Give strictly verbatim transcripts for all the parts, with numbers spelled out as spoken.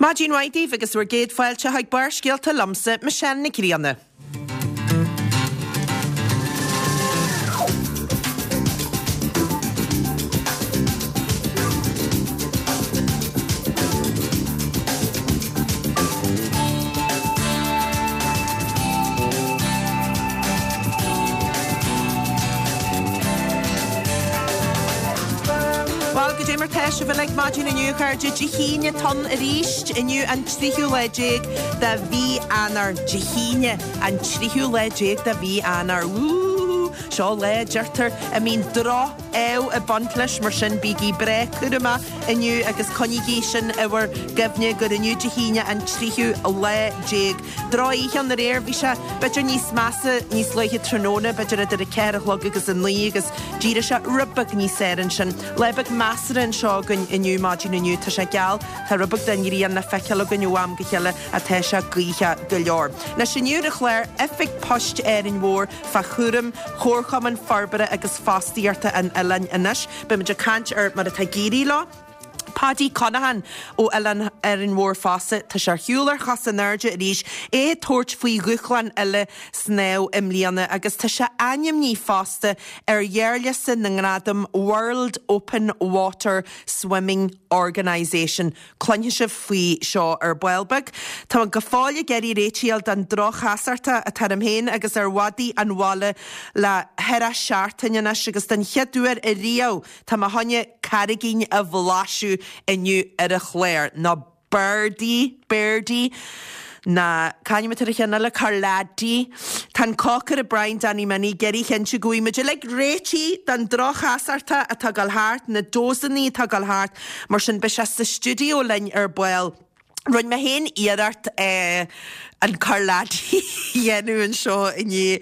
Maidin mhaith daoibh agus bhur gcéad fáilte chuig Barrscéalta liomsa, Michelle Nic Grianna. Bhuel, goidé mar tá sibh uilig maidin inniu, a chairde. Dé hAoine atá ann arís, inniu an tríú lá déag de mhí Eanáir. Dé hAoine, an tríú lá déag de mhí Eanáir. Wúúú! Seo lá, a deirtear, a mbíonn droch-ádh ag baint leis, mar sin bígí breá cúramach inniu agus coinnígí sin i bhur gcuimhne gur inniu Dé hAoine an tríú lá déag. Drochoíche ann aréir, bhí sé b'fhéidir níos measa níos luaithe tráthnóna, b'fhéidir idir a ceathair a chlog agus a naoi agus d'éirigh sé rud beag níos fearr ansin. Lá beag measartha anseo againn inniu, maidin inniu. Tá sé geal, tá rud beag den ghrian le feiceáil againn ó am go chéile ach tá sé gaothach go leor. Anois inniu ar an chlár, Oifig Poist Árainn Mhór fá chúram Chomharchumann Forbartha agus Fostaíochta an Oileáin anois. Beimid ag caint ar mar atá ag éirí leo. Paddy Conaghan ó Oileán Árainn Mhór fosta, tá sé ar shiúl ar chosa in airde arís, é ag tabhairt faoi dhúshlán eile snámh i mbliana agus tá sé ainmnithe fosta ar ghearrliosta na ngradam World Open Water Swimming Organisation. Cluinfidh sibh faoi seo ar ball beag. Tá go fóill ag iarraidh réitigh a fháil don droch-chasachtach atá orm féin agus ar mhadaí an bhaile le ceithre seachtaine anois agus den chéad uair ariamh tá mé chun carraigín a bhlaiseadh inniu ar an chlár, nó Birdie, Birdie, ná c'ainm atá ar an cheann eile, Corladi. Tá an cócaire Brian Danny Minnie ag iarraidh a chinntiú go bhfaighidh muid uilig réitithe don droch-chasachtach atá ag dul thart, na dósannaí atá ag dul thart, mar sin beidh sé sa stiúideo linn ar ball. Rinne mé féin iarracht an Corladi a dhéanamh anseo inné.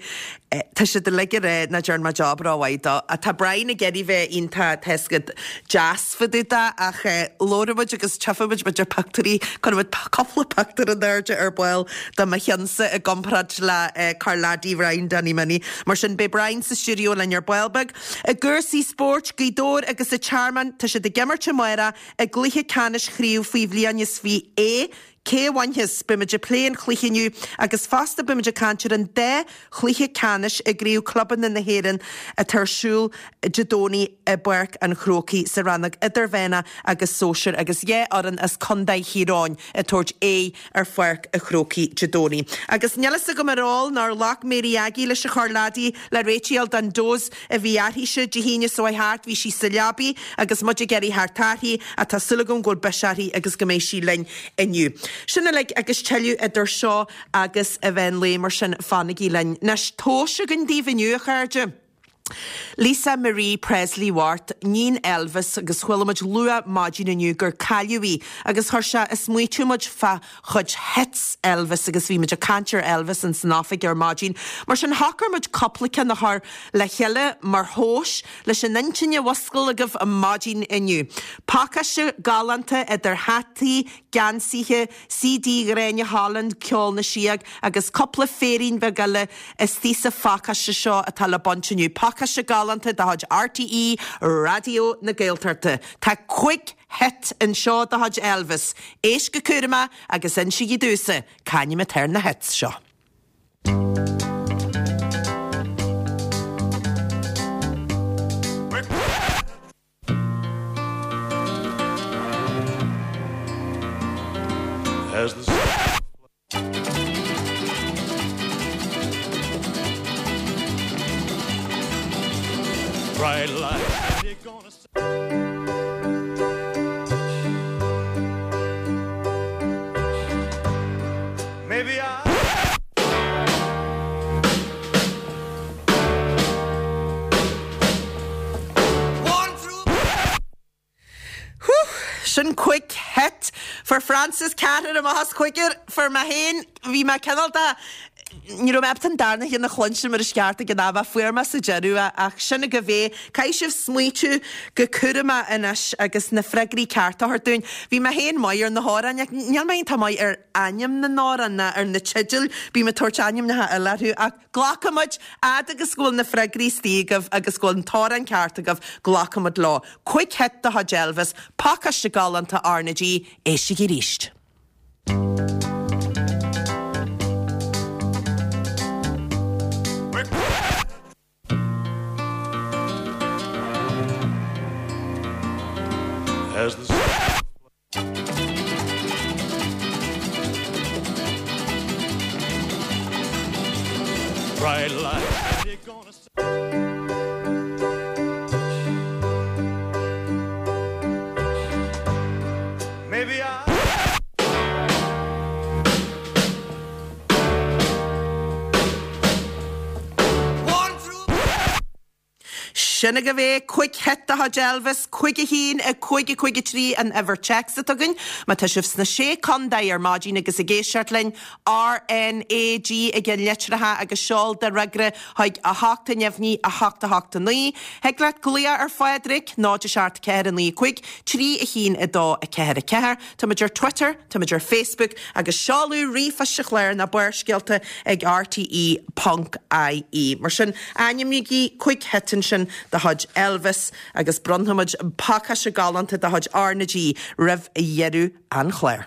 Tá siad uilig ag rá nach dtearn mé job rómhaith dó. Tá Brian ag iarraidh bheith iontach, tá 'fhios agat, deas fá dtaobh de ach labhróidh muid agus tchífidh muid b'fhéidir pictiúirí, cuirfidh muid cúpla pictiúr in airde ar ball de mo cheannsa i gcomparáid le Corladi Bhrian Danny Minnie. Mar sin beidh Brian sa stiúideo linn ar ball beag. I gcúrsaí spóirt, Gaoth Dobhair agus an Tearmann, tá siad ag imirt amárach I gcluiche ceannais chraobh faoi bhliain is fiche A, cé a bhainfeas? Beimid ag plé an chluiche inniu agus fosta beimid ag caint ar an dá chluiche ceannais i gCraobh Clubanna na hÉireann atá ar siúl Dé Domhnaigh i bPáirc an Chrócaigh sa rannóg idirmheánach agus sóisir agus dhá fhoireann as Contae Thír Eoghain ag tabhairt aghaidh ar Pháirc an Chrócaigh Dé Domhnaigh. Agus níl fhios agam ar ól nó ar ghlac Mary Aggie leis an Chorladi le réiteach a fháil don dose a bhí uirthise Dé hAoine seo chuaigh thart, bhí sí sa leabaidh agus muid ag iarraidh theacht uirthi ach tá súil agam go bhfuil biseach uirthi agus go mbeidh sí linn inniu. Sin uilig agus tuilleadh idir seo agus an mheán lae mar sin fanaigí linn. Anois, tomhais againn daoibh inniu, a chairde. Lisa Marie Presley Mhart, níon Elvis agus chuala muid luath maidin inniu gur cailleadh í agus chuir sé ag smaoitiú muid fá chuid hits Elvis agus bhí muid ag caint ar Elvis in san oifig ar maidin. Mar sin shocair muid cúpla ceann a chur le chéile mar thomhais leis an intinn a mhuscail agaibh maidin inniu. Pacáiste galánta idir hataí, geansaithe, CD Ghráinne Holland, Ceol na Síóg agus cúpla féirín beag eile istigh sa phacáiste seo atá le baint inniu. Pacáiste galánta de chuid RTÉ Raidió na Gaeltachta. Tá cúig hit anseo de chuid Elvis. Éist go cúramach agus insígí domhsa c'ainm atá ar na hits seo. Sin cúig hit. Fuair Frances ceathrar amach as cúigear. Fuair mé féin, bhí mé cineál de, ní raibh mé ábalta an darna cheann a chluinstin mar is ceart ag an am ach fuair mé sa deireadh é ach sin agaibh é. Caithfidh sibh smaoitiú go cúramach anois agus na freagraí cearta a thabhairt dúinn. Bhí mé féin maith ar na hamhráin ach níl mé iontach maith ar ainm na n-amhrán ná ar na teidil, bím ag tabhairt ainmneacha eile orthu ach glacfaimid, fhad agus go bhfuil na freagraí istigh agaibh agus go bhfuil an t-amhrán ceart agaibh, glacfaimid leo. Cúig hit de chuid Elvis, pacáiste galánta R na G, éistigí arís. Sin agaibh é, cúig hit de chuid Elvis, cúig a haon, a cúig, a cúig a trí an uimhir téacs atá againn. Má tá sibh sna Sé Contae ar maidin agus ag éisteacht linn, RNAG i gceannlitreacha agus seol do fhreagra chuig a hocht a neamhní, a hocht a hocht a naoi. Thig leat glaoch ar Phádraig, náid a seacht ceathair a naoi cúig, trí a haon a dó a ceathair a ceathair. Táimid ar Twitter, táimid ar Facebook agus seoladh ríomhphoist an chláir ná Barrscéalta ag rte ponc ie. Mar sin, ainmnígí cúig hit ansin de chuid Elvis agus bronnfaimid pacáiste galánta de chuid R na G roimh dheireadh an chláir.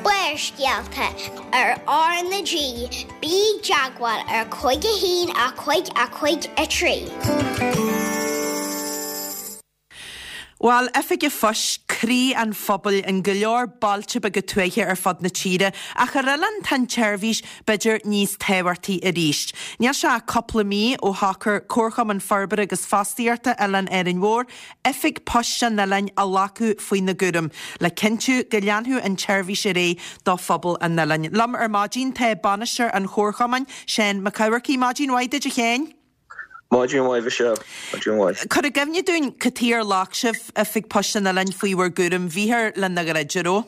Barrscéalta ar R na G, bí i dteagmháil ar cúig a haon a cúig a cúig a trí. Bhuel, Oifig an Phoist, croí an phobail in go leor bailte beaga tuaithe ar fud na tíre, ach ar oileán tá an tseirbhís b'fhéidir níos tábhachtaí arís. Níl sé ach cúpla mí ó shocair Comharchumann Forbartha agus Fostaíochta Oileán Árainn Mhór Oifig Poist an oileáin a ghlacadh faoina gcúram, le cinntiú go leanfadh an tseirbhís ar aghaidh do phobal an oileáin. Liom ar maidin tá Bainisteoir an Chomharchumainn, Seán Mac Eamharcaigh. Maidin mhaith duit, a Sheáin. Maidin mhaith, a Mhichelle. Maidin mhaith. Cuir i gcuimhne dúinn cad chuige ar ghlac sibh Oifig Poist an Oileáin faoi bhur gcúram. Bhíthear lena dhruid, an raibh?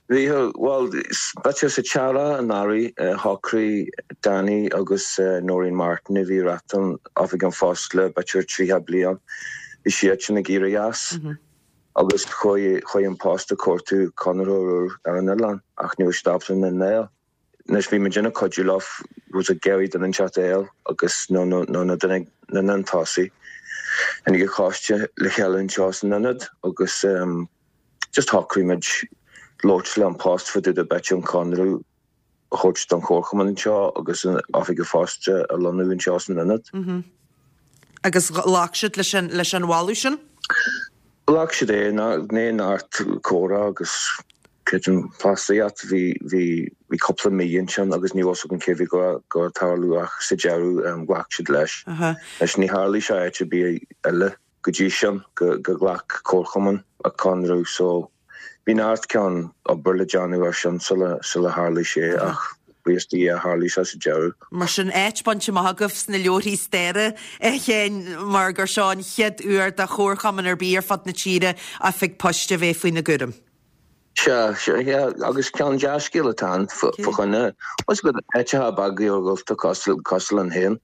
Bhíthear, bhuel, b'fhéidir sa tsearrach anuraidh, shocraigh Danny agus Noreen Martin a bhí ag reáchtáil Oifig an Phoist le b'fhéidir tríocha bliain, bhí siadsan ag éirí as agus chuaigh chuaigh An Post ag cuartú conraitheoir úr ar an oileán ach ní raibh siad ábalta duine a fháil. Anois bhí muid ag cuidiú leo rud ag iarraidh duine inteacht a fháil agus nó nó nó na duine na duine tosaigh. Tháinig an coiste le chéile anseo san ionad agus ehm just shocraigh muid labhairt le An Post fá dtaobh de b'fhéidir an conradh a thabhairt don chomharchumann anseo agus an oifig an phoist a lonnú anseo san ionad. Agus ghlac siad leis an leis an mholadh sin? Ghlac siad é, i ndiaidh neart comhrá agus creidim fostaíocht, bhí bhí bhí cúpla mí ansin agus ní raibh fhios againn cé bhí ag gabháil a tarlú ach sa deireadh ghlac siad leis. Anois ní tharlaigh sé áit ar bith eile go dtí sin go go ghlac comharchumann an conradh so bhí neart cineál obair le déanamh ar sin sula sula tharlaigh sé ach buíochas do Dhia tharlaigh sé sa deireadh. Mar sin áit bainte amach agaibh sna leabharthaí staire, a Sheáin, mar gur seo an chéad uair do chomharchumann ar bith ar fud na tíre oifig poist a bheith faoina gcúram. Sea, sea, agus ceann dea-scéal atá ann fá choinne, bhfuil fhios agat, áiteacha beaga iargúlta cosúil, cosúil linn féin,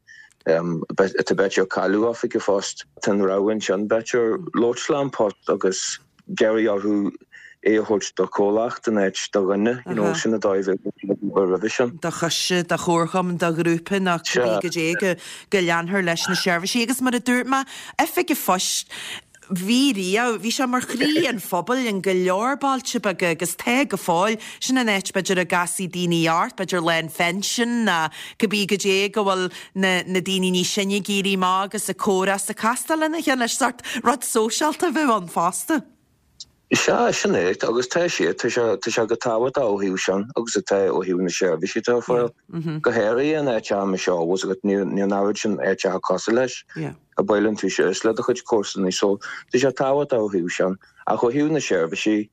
atá b'fhéidir ag cailleadh oifig an phoist. Tá an rogha ansin, b'fhéidir, labhairt le An Post agus iarraidh orthu é a thabhairt do chomhlacht in áit do dhuine, you know, sin an dóigh a bhí ag obair roimhe sin. do choiste, do chomharchumann, do ghrúpa nó cibé goidé go go leanfar leis na seirbhísí. Agus mar a dúirt mé, Oifig an Phoist, bhí riamh, bhí sé mar chroí an phobail in go leor bailte beaga agus tá go fóill. Sin an áit b'fhéidir a gcasfaidh daoine ort, b'fhéidir lá an phension ná cibé goidé go bhfuil na na daoine níos sine ag éirí amach agus ag comhrá is ag castáil lena chéile. Sórt rud sóisialta a bheadh ann fosta. Sea, sin é, agus tá sé, tá sé, tá sé go tábhachtach ó thaobh sin agus atá ó thaobh na seirbhísí atá ar fáil. Go háirithe in áiteacha mar seo, bhfuil fhios agat, níl, níl an oiread sin áiteacha cosúil leis a buaileann tú síos le do chuid comharsanaí so tá sé tábhachtach ó thaobh sin. Ach ó thaobh na seirbhísí,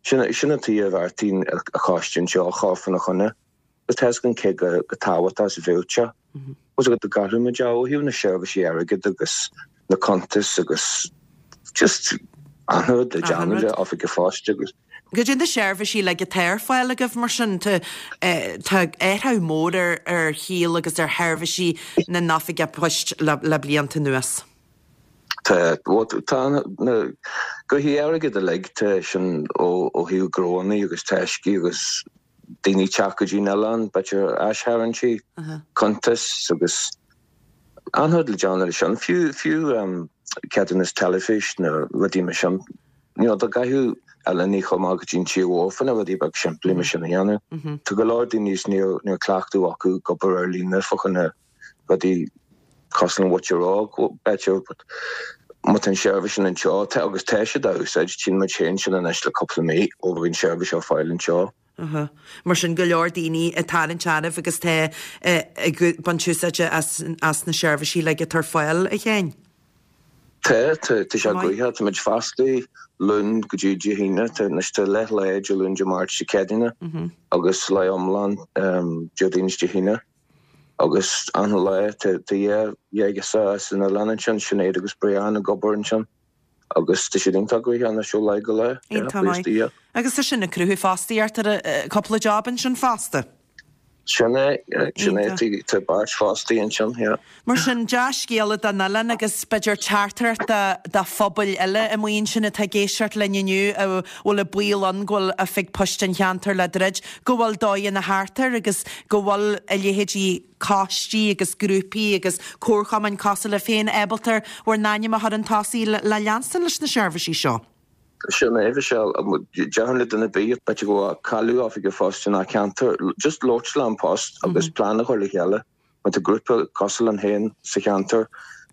sin, sin an tuige a bheartaíonn an coiste anseo a chur faoina choinne. Agus tá fhios againn cé go tábhachtach is a bheadh sé. Bhfuil fhios agat go gcaithfidh muid é ó thaobh na seirbhísí airgid agus na cuntais agus just achan rud le déanamh le Oifig an Phoist agus. Goidé na seirbhísí uilig atá ar fáil agaibh mar sin? Tá tá athrú mór ar ar shaol agus ar sheirbhísí na n-oifigí poist le le blianta anuas. Tá, bhuel tá na gnoithí airgid uilig, tá sin ó ó thaobh gnóanna agus taiscí agus daoine teacht go dtí an oileán, b'fhéidir aistharraingtí, cuntais agus achan rud le déanamh leis sin, fiú fiú ceadúnas teilifís nó rudaí mar sin, you know, dá gcaithfeadh oileánaigh chomh maith go dtí an tír mhór fá na rudaí beag simplí mar sin a dhéanamh. Tá go leor daoine is níl níl cleachtadh acu ag obair ar líne fá choinne rudaí cosúil le what you're all b'fhéidir but má tá an seirbhís sin anseo tá agus tá siad á úsáid tchíonn muid féin sin anois le cúpla mí ó bhí an seirbhís á fáil anseo. Aha. Mar sin go leor daoine ag tarraingt oraibh agus tá ag baint úsáide as as na seirbhísí le atá ar fáil a Sheáin. Tá tá tá sé gnoitheach tá muid fostaithe Luan go dtí Dé hAoine tá anois tá leath lae Dé Luain Dé Máirt Dé Céadaoine agus lá iomlán Déardaoin is Dé hAoine agus an lá tá tá dhá dhá as an oileán ansin Sinéad agus Brian ag obair ansin agus tá siad iontach gnoitheach anois ó lá go lá. Iontach maith. Agus tá sin ag cruthú fostaíocht ar cúpla job ansin fosta. Sin é sin é tá beirt fostaí ansin yeah. Mar sin dea-scéala don oileán agus b'fhéidir teachtaireacht do phobail eile amuigh ansin atá ag éisteacht linn inniu a bhfuil an baol ann go bhfuil oifig poist an cheantair le druid, go bhfuil dóigheanna thart air agus go bhfuil a leithéidí coistí agus grúpaí agus comharchumainn cosúil libh féin ábalta bhur n-ainm a chur chun tosaigh le leanstan leis na seirbhísí seo. Sin é Michelle déarfainn le duine ar bith b'fhéidir go bhfuil cailleadh oifig an phoist ina ceantar just labhairt le An Post agus plean a chur le chéile má tá grúpa cosúil linn féin sa cheantar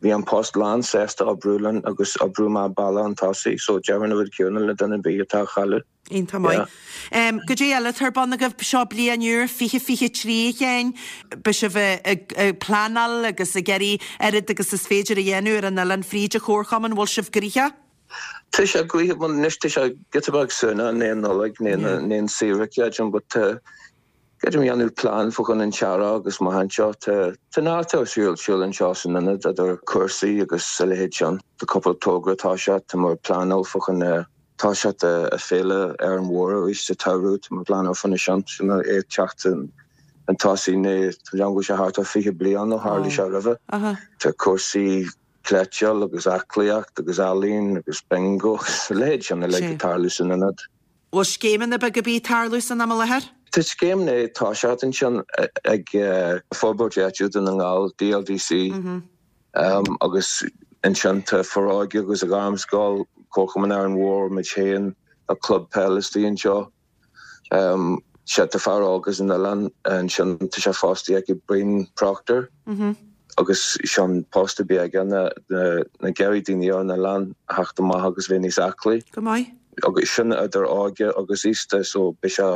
bhí An Post lán sásta oibriú linn agus oibriú amach bealach chun tosaigh so déarfainn an rud céanna le duine ar bith atá á chailleadh. Iontach maith. Um, Goidé eile atá ar bun agaibh seo bliain úr fiche fiche trí a Sheáin, beidh sibh ag pleanáil agus ag iarraidh oiread agus is féidir a dhéanamh ar an oileán fríd an chomharchumann bhfuil sibh gnoitheach? Tá sé gnoitheach anois tá sé giota beag suaimhneach i ndiaidh Nollag nó i ndiaidh saoire creidim but creidim dhéanamh plean fá choinne an t-earrach agus amach anseo tá tá neart ar siúl siúl anseo san ionad idir cúrsaí agus a leithéid sin. Tá cúpla togra tá sé tá muid ag pleanáil fá choinne toiseacht a féile ar an mhór arís sa tsamhradh tá muid ag pleanáil fá choinne sin sin é teacht an tosaigh né tá go sé thart ar fiche bliain ó tharla sé roimhe. Tá cúrsaí cleiteáil agus aclaíocht agus ealaín agus bingo agus a leithéid sin uilig ag tarlú san ionad. Bhfuil scéimeanna beaga ar bith ag tarlú san am i láthair? Tá scéim ag toiseacht ansin ag Forbairt Áitiúil Dhún na nGall, DLDC, agus ansin tá Foróige agus an Ghairmscoil, Comharchumann Árainn Mhór, muid féin, tá club peile istigh anseo. Sea, tá fear óg as an oileán ansin, tá sé fostaithe ag Brian Proctor agus sin post a bhí aige ná ag iarraidh daoine ar an oileán a theacht amach agus bheith níos aclaí. Go maith. Agus sin idir óige agus aosta so beidh sé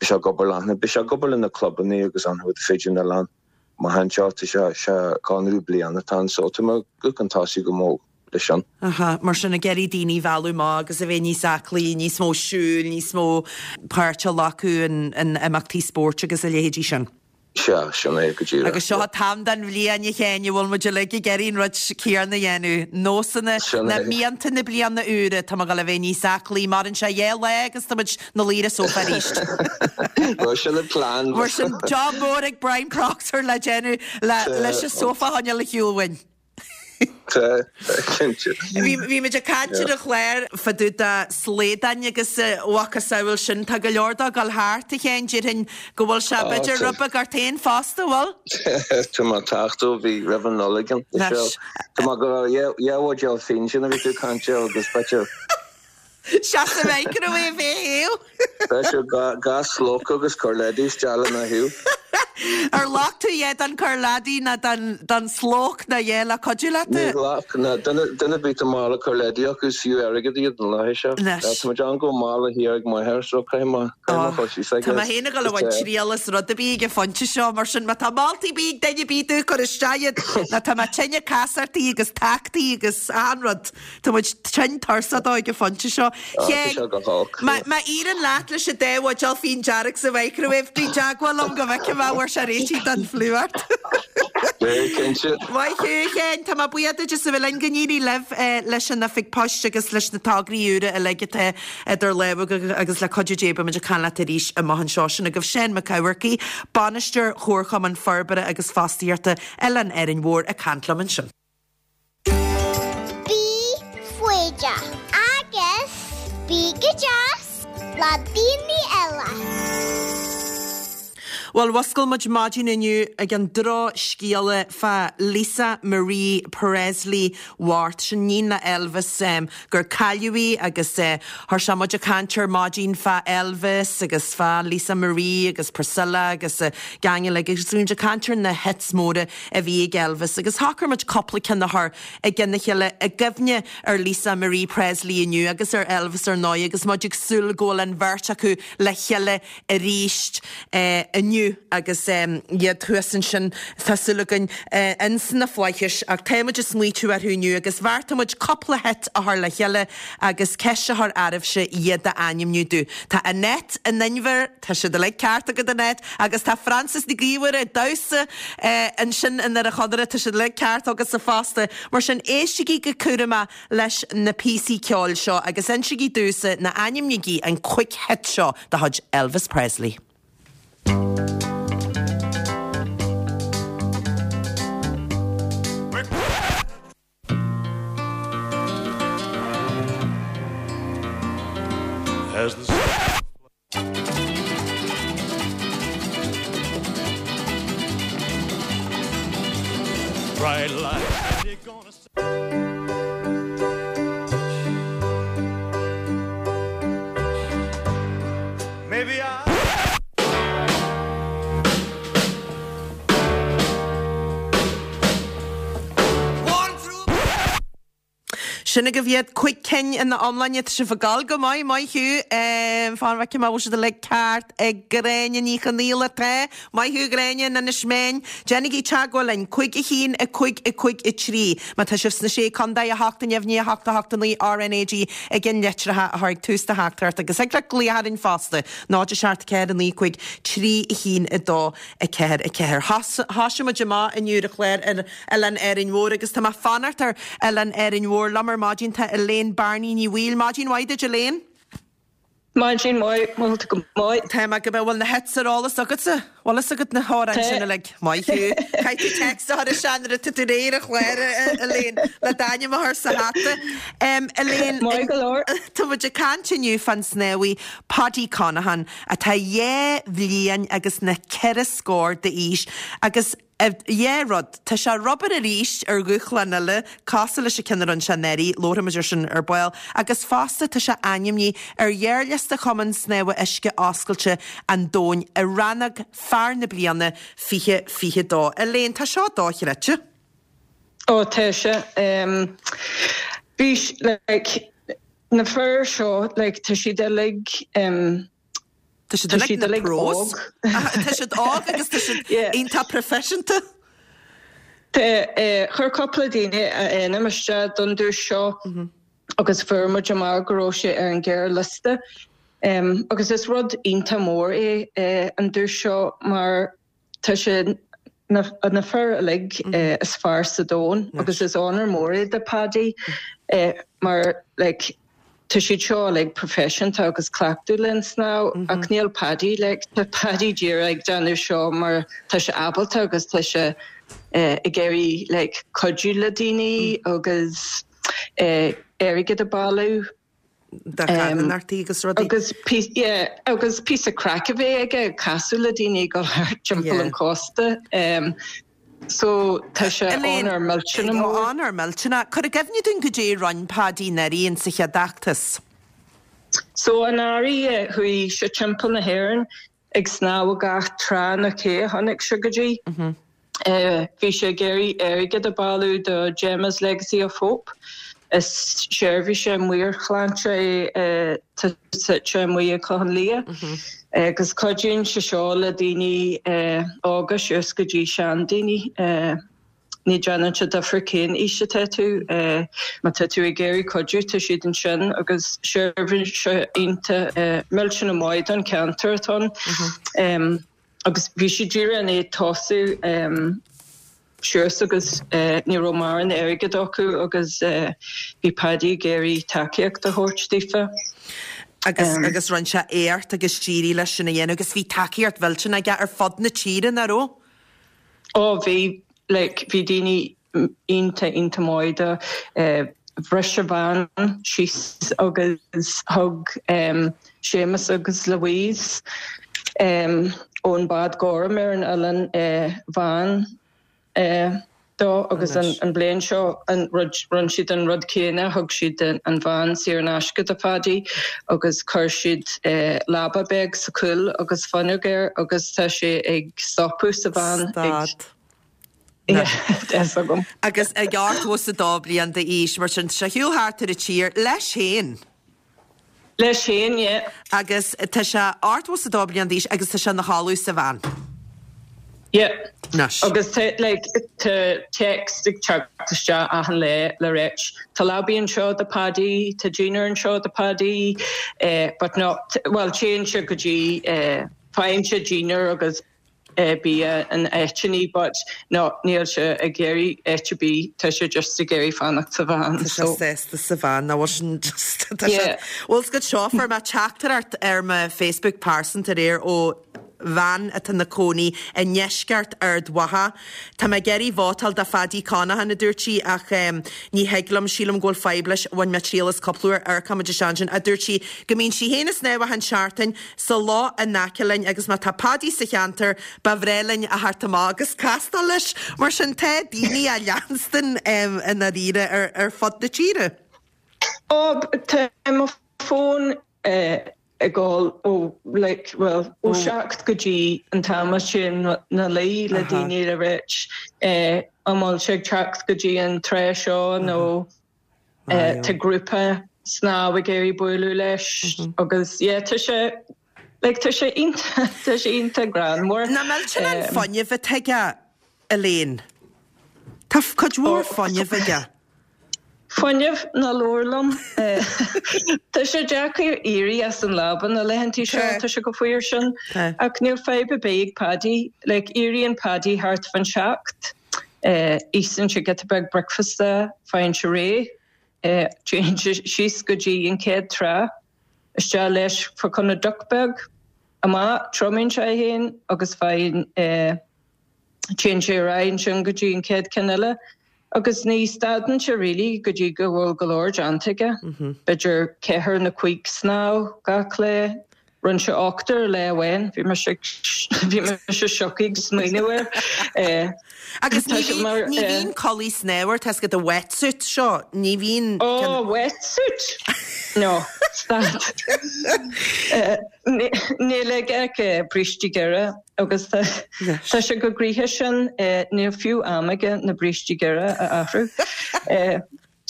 beidh sé ag obair le beidh sé ag obair le na clubanna agus an rud fríd an oileán. Amach anseo tá sé sé conradh bliana atá ann so tá muid chun tosaigh go mór leis sin. Aha, mar sin ag iarraidh daoine a mhealladh amach agus a bheith níos aclaí, níos mó siúil, níos mó páirt a ghlacadh in in imeachtaí spóirt agus a leithéidí sin. Sea, sin é go díreach. Agus seo an t-am den bhliain a Sheáin a bhfuil muid uilig ag iarraidh an rud céanna a dhéanamh, nósanna Sin na é. mianta na bliana úire, tá mé ag dul a bheith níos aclaí, maireann sé dhá lá agus tá muid 'na luí ar an sófá arís. Bhuel sin an plean. Mar sin job mór ag Brian Proctor le déanamh le leis an sófá a choinneáil ar shiúl uainn. Tá, cinnte. Bhí bhí muid ag caint ar an chlár fá dtaobh de shlaodáin agus a mhacasamhail sin tá go leor dó ag dul thart a Sheáin déarfainn go bhfuil sé b'fhéidir tá. rud beag ort féin fosta, bhfuil? Tá mé ag teacht ó bhí roimh an Nollaig ann. Anois. Tá mé go raibh dhá bhuidéal fíon sin a bhí tú ag caint air agus b'fhéidir Seasamh microwave é thaobh. B'fhéidir dhá dhá slóc agus corrleidí isteach lena thaobh. Ar ghlac tú a dhath den corrladdie ná den den slóc ná a dhath le cuidiú leat? Ní ghlac ná duine duine ar bith tá mála corrladdie acu is fiú airgead iad an lá seo. Anois. Tá muid ann go mála thiar ag m'athair so caithfidh mé caithfidh mé chur síos aige. Tá mé féin ag dul a bhaint triail as rud ar bith ag an phointe seo mar sin má tá moltaí ar bith ag duine ar bith domh cuir isteach iad ná tá mé tinn ag casachtaí agus tachtaí agus achan rud. Tá muid tinn tuirseach dó ag an phointe seo. Ah, tá sé go holc. Má má éiríonn leat leis an dá bhuidéal fíon dearg sa microwave bí i dteagmháil liom go bhfeicfidh mé an bhfuair sé réitithe don fliú ort. Bhuel, cinnte. Maith thú, a Sheáin, tá mé buíoch duit as a bheith linn go n-éirí libh leis an oifig poist agus leis na tograí úra uilig atá idir lámha agaibh agus le cuidiú Dé beidh muid ag caint leat arís amach anseo. Sin agaibh Seán Mac Eamharcaigh, Bainisteoir Chomharchumann Forbartha agus Fostaíochta Oileán Árainn Mhór ag caint liom ansin. Bí foighdeach agus bí go deas le daoine eile. Bhuel, Bhuel, mhuscail muid maidin inniu ag an drochscéala fá Lisa Marie Presley bhocht, sin iníon le Elvis, gur cailleadh í agus thosaigh muid ag caint ar maidin fá Elvis agus fá Lisa Marie agus Priscilla agus gang uilig agus bhí muid ag caint ar na hits móra a bhí ag Elvis agus shocraigh muid cúpla ceann a chur i gcionn a chéile i gcuimhne ar Lisa Marie Presley inniu agus ar Elvis ar ndóigh agus muid ag súil go bhfuil an bheirt acu le chéile arís inniu agus iad thuas ansin, tá súil againn, ins na flaithis. Ach tá muid ag smaoitiú orthu inniu agus bheartaigh muid cúpla hit a chur le chéile agus ceist a chur oraibhse iad a ainmniú domh. Tá Annette in Inbhir, tá siad uilig ceart agat Annette, agus tá Frances Nic Íomhair ag damhsa ansin i nDoire Chonaire, tá siad uilig ceart agatsa fosta. Mar sin, éistigí go cúramach leis na píosaí ceoil seo agus insígí domhsa nó ainmnígí an cúig hit seo de chuid Elvis Presley. Sin agaibh iad, cúig cinn ina iomláine. Tá sibh ag gabháil go maith, maith thú. Fan go bhfeicfidh mé an bhfuil siad uilig ceart ag Gráinne Ní Chonaola. Tá. Maith thú, a Ghráinne, in Inis Meáin. Déanaigí teagmháil linn, cúig a haon, a cúig, a cúig, a trí. Má tá sibh sna Sé Contae, a hocht, neamhní, a hocht, a hocht, a naoi, RnaG i gcionn litreacha a chur ag tús do theachtaireacht agus thig leat glaoch orainn fosta, náid a seacht ceathair a naoi cúig trí a haon a dó a ceathair a ceathair. Thosaigh muid amach inniu ar an chlár ar Oileán Árainn Mhór agus tá mé ag fanacht ar Oileán Árainn Mhór. Liom ar maidin tá Elaine Barney Ní Bhaoill. Maidin mhaith duit Elaine. Maidin mhaith, bhfuil tú go maith? Tá mé go maith, bhfuil na hits ar eolas agatsa? Bhfuil fhios agat na hamhráin sin uilig? Maith thú. Caithfidh tú text a chur isteach nuair atá tú réidh ar an chlár, Elaine, le d'ainm a chur sa hata. Elaine, Maith go leor. Tá muid ag caint inniu fán snámhaí Paddy Conaghan atá dhá bhliain agus na ceithre scór d'aois agus Dhá rud. Tá sé ar obair arís ar dhúshlán eile, cosúil leis an ceann a rinne sé anuraidh, labharfaidh muid air sin ar ball, agus fosta tá sé ainmnithe ar ghearrliosta Chumann Snámha Uisce Oscailte an Domhain i rannóg Fear na Bliana fiche fiche dó. Elaine, tá seo dochreidte. Ó, tá sé. Bhí, like, na fir seo, like, tá siad uilig, Tá siad uilig na pros. Tá siad óg agus tá siad iontach proifisiúnta. Chuir cúpla daoine a ainm isteach don duais seo agus fuair muid amach go raibh sé ar an ghearrliosta. Agus is rud iontach mór é an duais seo mar Tá sé na fir uilig is fearr sa domhan agus is onóir mór é do Paddy mar like tá siad seo uilig proifisiúnta agus cleachtadh le an snámh ach níl Paddy like tá Paddy díreach ag déanamh seo mar tá sé ábalta agus tá sé ag iarraidh like cuidiú le daoine agus airgead a bailiú. do charthanachtaí agus rudaí. Agus yeah, agus píosa craic a bheith aige ag casadh le daoine ag dul thart timpeall an chósta. So tá sé onóir millteanach mór. Onóir millteanach. Cuir i gcuimhne dúinn goidé a rinne Paddy anuraidh in sa chéad fheachtas. So anuraidh chuaigh sé timpeall na hÉireann ag snámh gach trá nó cé a chonaic sé go dtí. Bhí sé ag iarraidh airgead a bhailiú do Gemma's Legacy of Hope. Is seirbhís meabhairshláinte é atá suite amuigh i Clochán Liath agus cuidíonn sé seo le daoine óga suas go dtí seandaoine. Ní déanann sé difear cén aois atá tú, má tá tú ag iarraidh cuidiú tá siad ansin agus seirbhís iontach millteanach maith don cheantar atá ann. Agus bhí siad díreach i ndiaidh tosú suas agus ní raibh mórán airgead acu agus bhí Paddy ag iarraidh tacaíocht a thabhairt daofa. Agus agus rinne sé éacht agus d'éirigh leis sin a dhéanamh agus bhí tacaíocht mhillteanach aige ar fud na tíre, nach raibh? Ó bhí, like bhí daoine iontach iontach maith dó. Bhris a bhean síos agus thug Séamus agus Louise ón Bád Gorm ar an oileán veain dó agus an bliain seo an rud rinne siad an rud céanna thug siad an veain saor in aisce do Phaddy agus chuir siad leaba beag sa chúl agus fuinneog air agus tá sé ag stopadh sa veain ag agam. Agus ag ochtó is a dó bliain d'aois mar sin tá sé ar shiúl thart ar an tír leis féin. Leis féin, yeah. Agus tá sé ochtó is a dó bliain d'aois agus tá sé ina chodladh sa veain. Yeah. Anois. Agus tá like tá text ag teacht isteach achan lá le ráit tá leabaí anseo do Paddy, tá dinnéar anseo do Paddy, eh, but no, well téann sé go dtí eh, faigheann sé dinnéar agus eh, bia in áiteanna but no níl sé ag iarraidh áit ar bith tá sé just ag iarraidh fanacht sa veain. Tá sé sásta sa veain ná sin just yeah. Bhuel go seo fuair mé teachtaireacht ar mo Facebook pearsanta aréir ó bhean atá ina cónaí i ndeisceart Ard Mhacha. Tá mé ag iarraidh vótáil do Phaddy Conaghan a dúirt sí ach um, ní thig liom sílim go bhfuil fadhb leis bhain mé triail as cúpla uair amharcfaimid isteach ansin a dúirt sí go mbíonn sí féin ag snámh achan seachtain sa loch in aice linn agus má tá Paddy sa cheantar ba bhreá linn a theacht amach agus castáil leis mar sin tá daoine á leanstan um, i ndáiríre ar, ar fud na tíre. Ó tá mo fón eh, ag dul ó like well ó seacht go dtí an t-am sin na luí le daoine le ráit eh, an bhfuil sé ag teacht go dtí an trá seo nó eh, tá grúpa snámh ag iarraidh bualadh leis agus yeah, tá sé like, tá sé iontach tá sé iontach greannmhar. Nach millteanach an fuinneamh atá aige Elaine. Tá cuid mhór fuinneamh aige. Fuinneamh ná labhair liom. Tá sé deacair éirí as an leaba na laethanta seo tá sé chomh fuar sin ach níl fadhb ar bith ag Paddy, like éiríonn Paddy thart fan seacht, itheann sé giota beag bricfeasta, faigheann sé réidh, téann sé síos go dtí an chéad trá, isteach leis fá choinne deoch beag, amach triomaíonn sé é féin agus faigheann téann sé ar aghaidh ansin go dtí an chéad ceann eile. Agus ní stadann sé really go dtí go bhfuil go leor déanta aige. B'fhéidir ceathair nó cúig snámh gach lá. Rinne sé ochtar lá amháin, bhí mise bhí mise shocked ag smaoineamh air. Agus ní bhíonn ní bhíonn culaith snámha tá a wetsuit seo, ní bhíonn Oh, wetsuit? No, stad. Níl aige ach brístí géara agus tá sé chomh gnoitheach sin níl fiú am aige na brístí géara a athrú.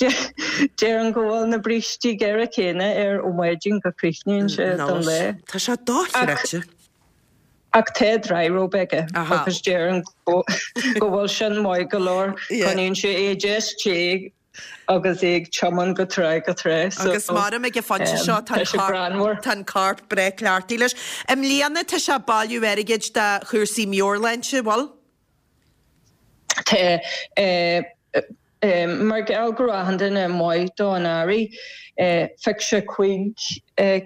Deirim go bhfuil na brístí géara céanna air ó maidin go críochnaíonn sé don lá. Tá sé dochreidte. Ach tá dryrobe aige agus deirim go bhfuil sin maith go leor coinníonn sé é deas te agus é ag tiomáint go trá go trá. Agus maram ag an phointe seo tá an corp breá cleachtaithe leis. I mbliana tá sé ag bailiú airgid do chúrsaí meabhairshláinte, bhfuil? Tá mar gheall go raibh achan duine maith dó anuraidh, phioc sé cúig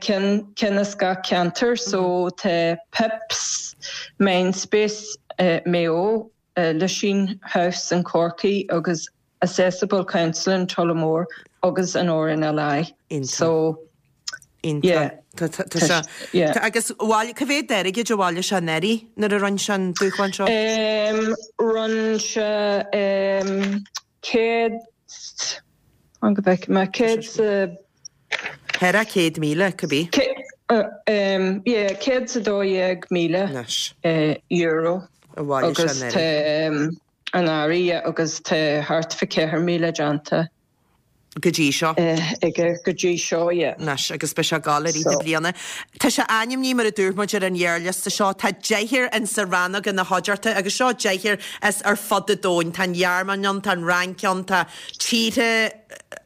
cinn ceann as gach ceantar, so tá Pips, Mindspace, Maigh Eo, Lisheen House in Corcaigh agus Accessible Counselling Tullamore agus an RNLI. So yeah. Tá sé agus bhaile cá mhéad airgid a bhailigh sé anuraidh nuair a rinne sé an dúshlán seo? Rinne sé céad an go bhfeicfidh mé céad sa Thar a céad míle cibé. Yeah, céad sa dó dhéag míle euro a bhailigh sé agus tá anuraidh agus tá thart fá ceithre míle déanta. Go dtí seo. Aige go dtí seo, yeah. Anois, agus beidh sé ag gabháil i rith na bliana. Tá sé ainmnithe mar a dúirt muid ar an ghearrliosta seo. Tá deichniúr in sa rannóg ina chuideachta agus seo deichniúr as ar fud an domhain. Tá an Ghearmáin ann, tá an Fhrainc ann, tá tíortha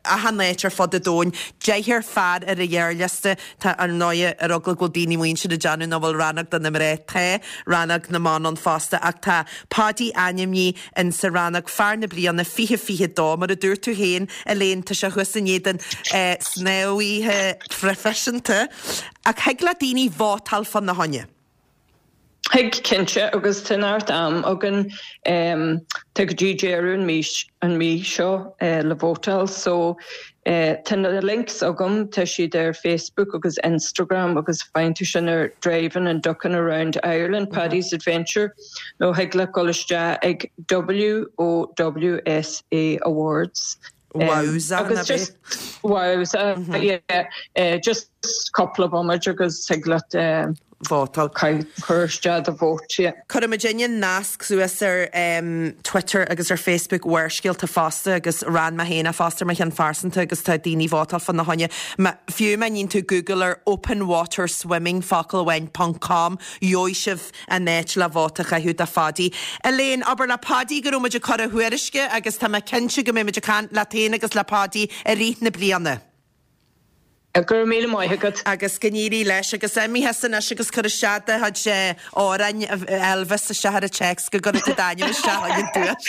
achan áit ar fud an domhain. Deichniúr fear ar an ghearrliosta. Tá ar ndóigh ar eagla go bhfuil daoine amuigh ansin ag déanamh nach bhfuil rannóg do na mná. Tá rannóg na mban ann fosta ach tá Paddy ainmnithe in sa rannóg fear na bliana fiche fiche dó. Mar a dúirt tú féin, Elaine, tá sé thuas in éadan snámhaithe proifisiúnta. Ach thig le daoine vótáil fána choinne. Thig cinnte agus tá neart am againn um, tá go dtí deireadh an mí an mí seo uh, le vótáil so uh, tá na links agam tá siad ar Facebook agus Instagram agus faigheann tú sin ar Driving and Ducking Around Ireland Paddy's Adventure nó thig leat dul isteach ag WOWSA Awards. Wowza agus just wowza mm -hmm. yeah uh, just couple of bomaid agus thig leat um, vótáil. Cur isteach do vóta yeah. Cuirfimid an nasc suas ar um, Twitter agus ar Facebook Bharrscéalta fosta agus ran mé féin fosta mar cheann phearsanta agus tá daoine vótáil fána choinne. Fiú má níonn tú Google ar open water swimming focal amháin .com gheobhaidh sibh an áit le vóta a chaitheamh do Phaddy. Elaine, abair le Paddy go raibh muid ag cur a thuairisce agus tá mé cinnte go mbeidh muid ag caint leat féin agus le Paddy i rith na bliana. Go raibh míle maith agat. Agus go n-éirí leis agus imigh anois agus cur isteach do chuid amhráin Elvis isteach ar an téacs go gcuirfidh tú d'ainm isteach an duais.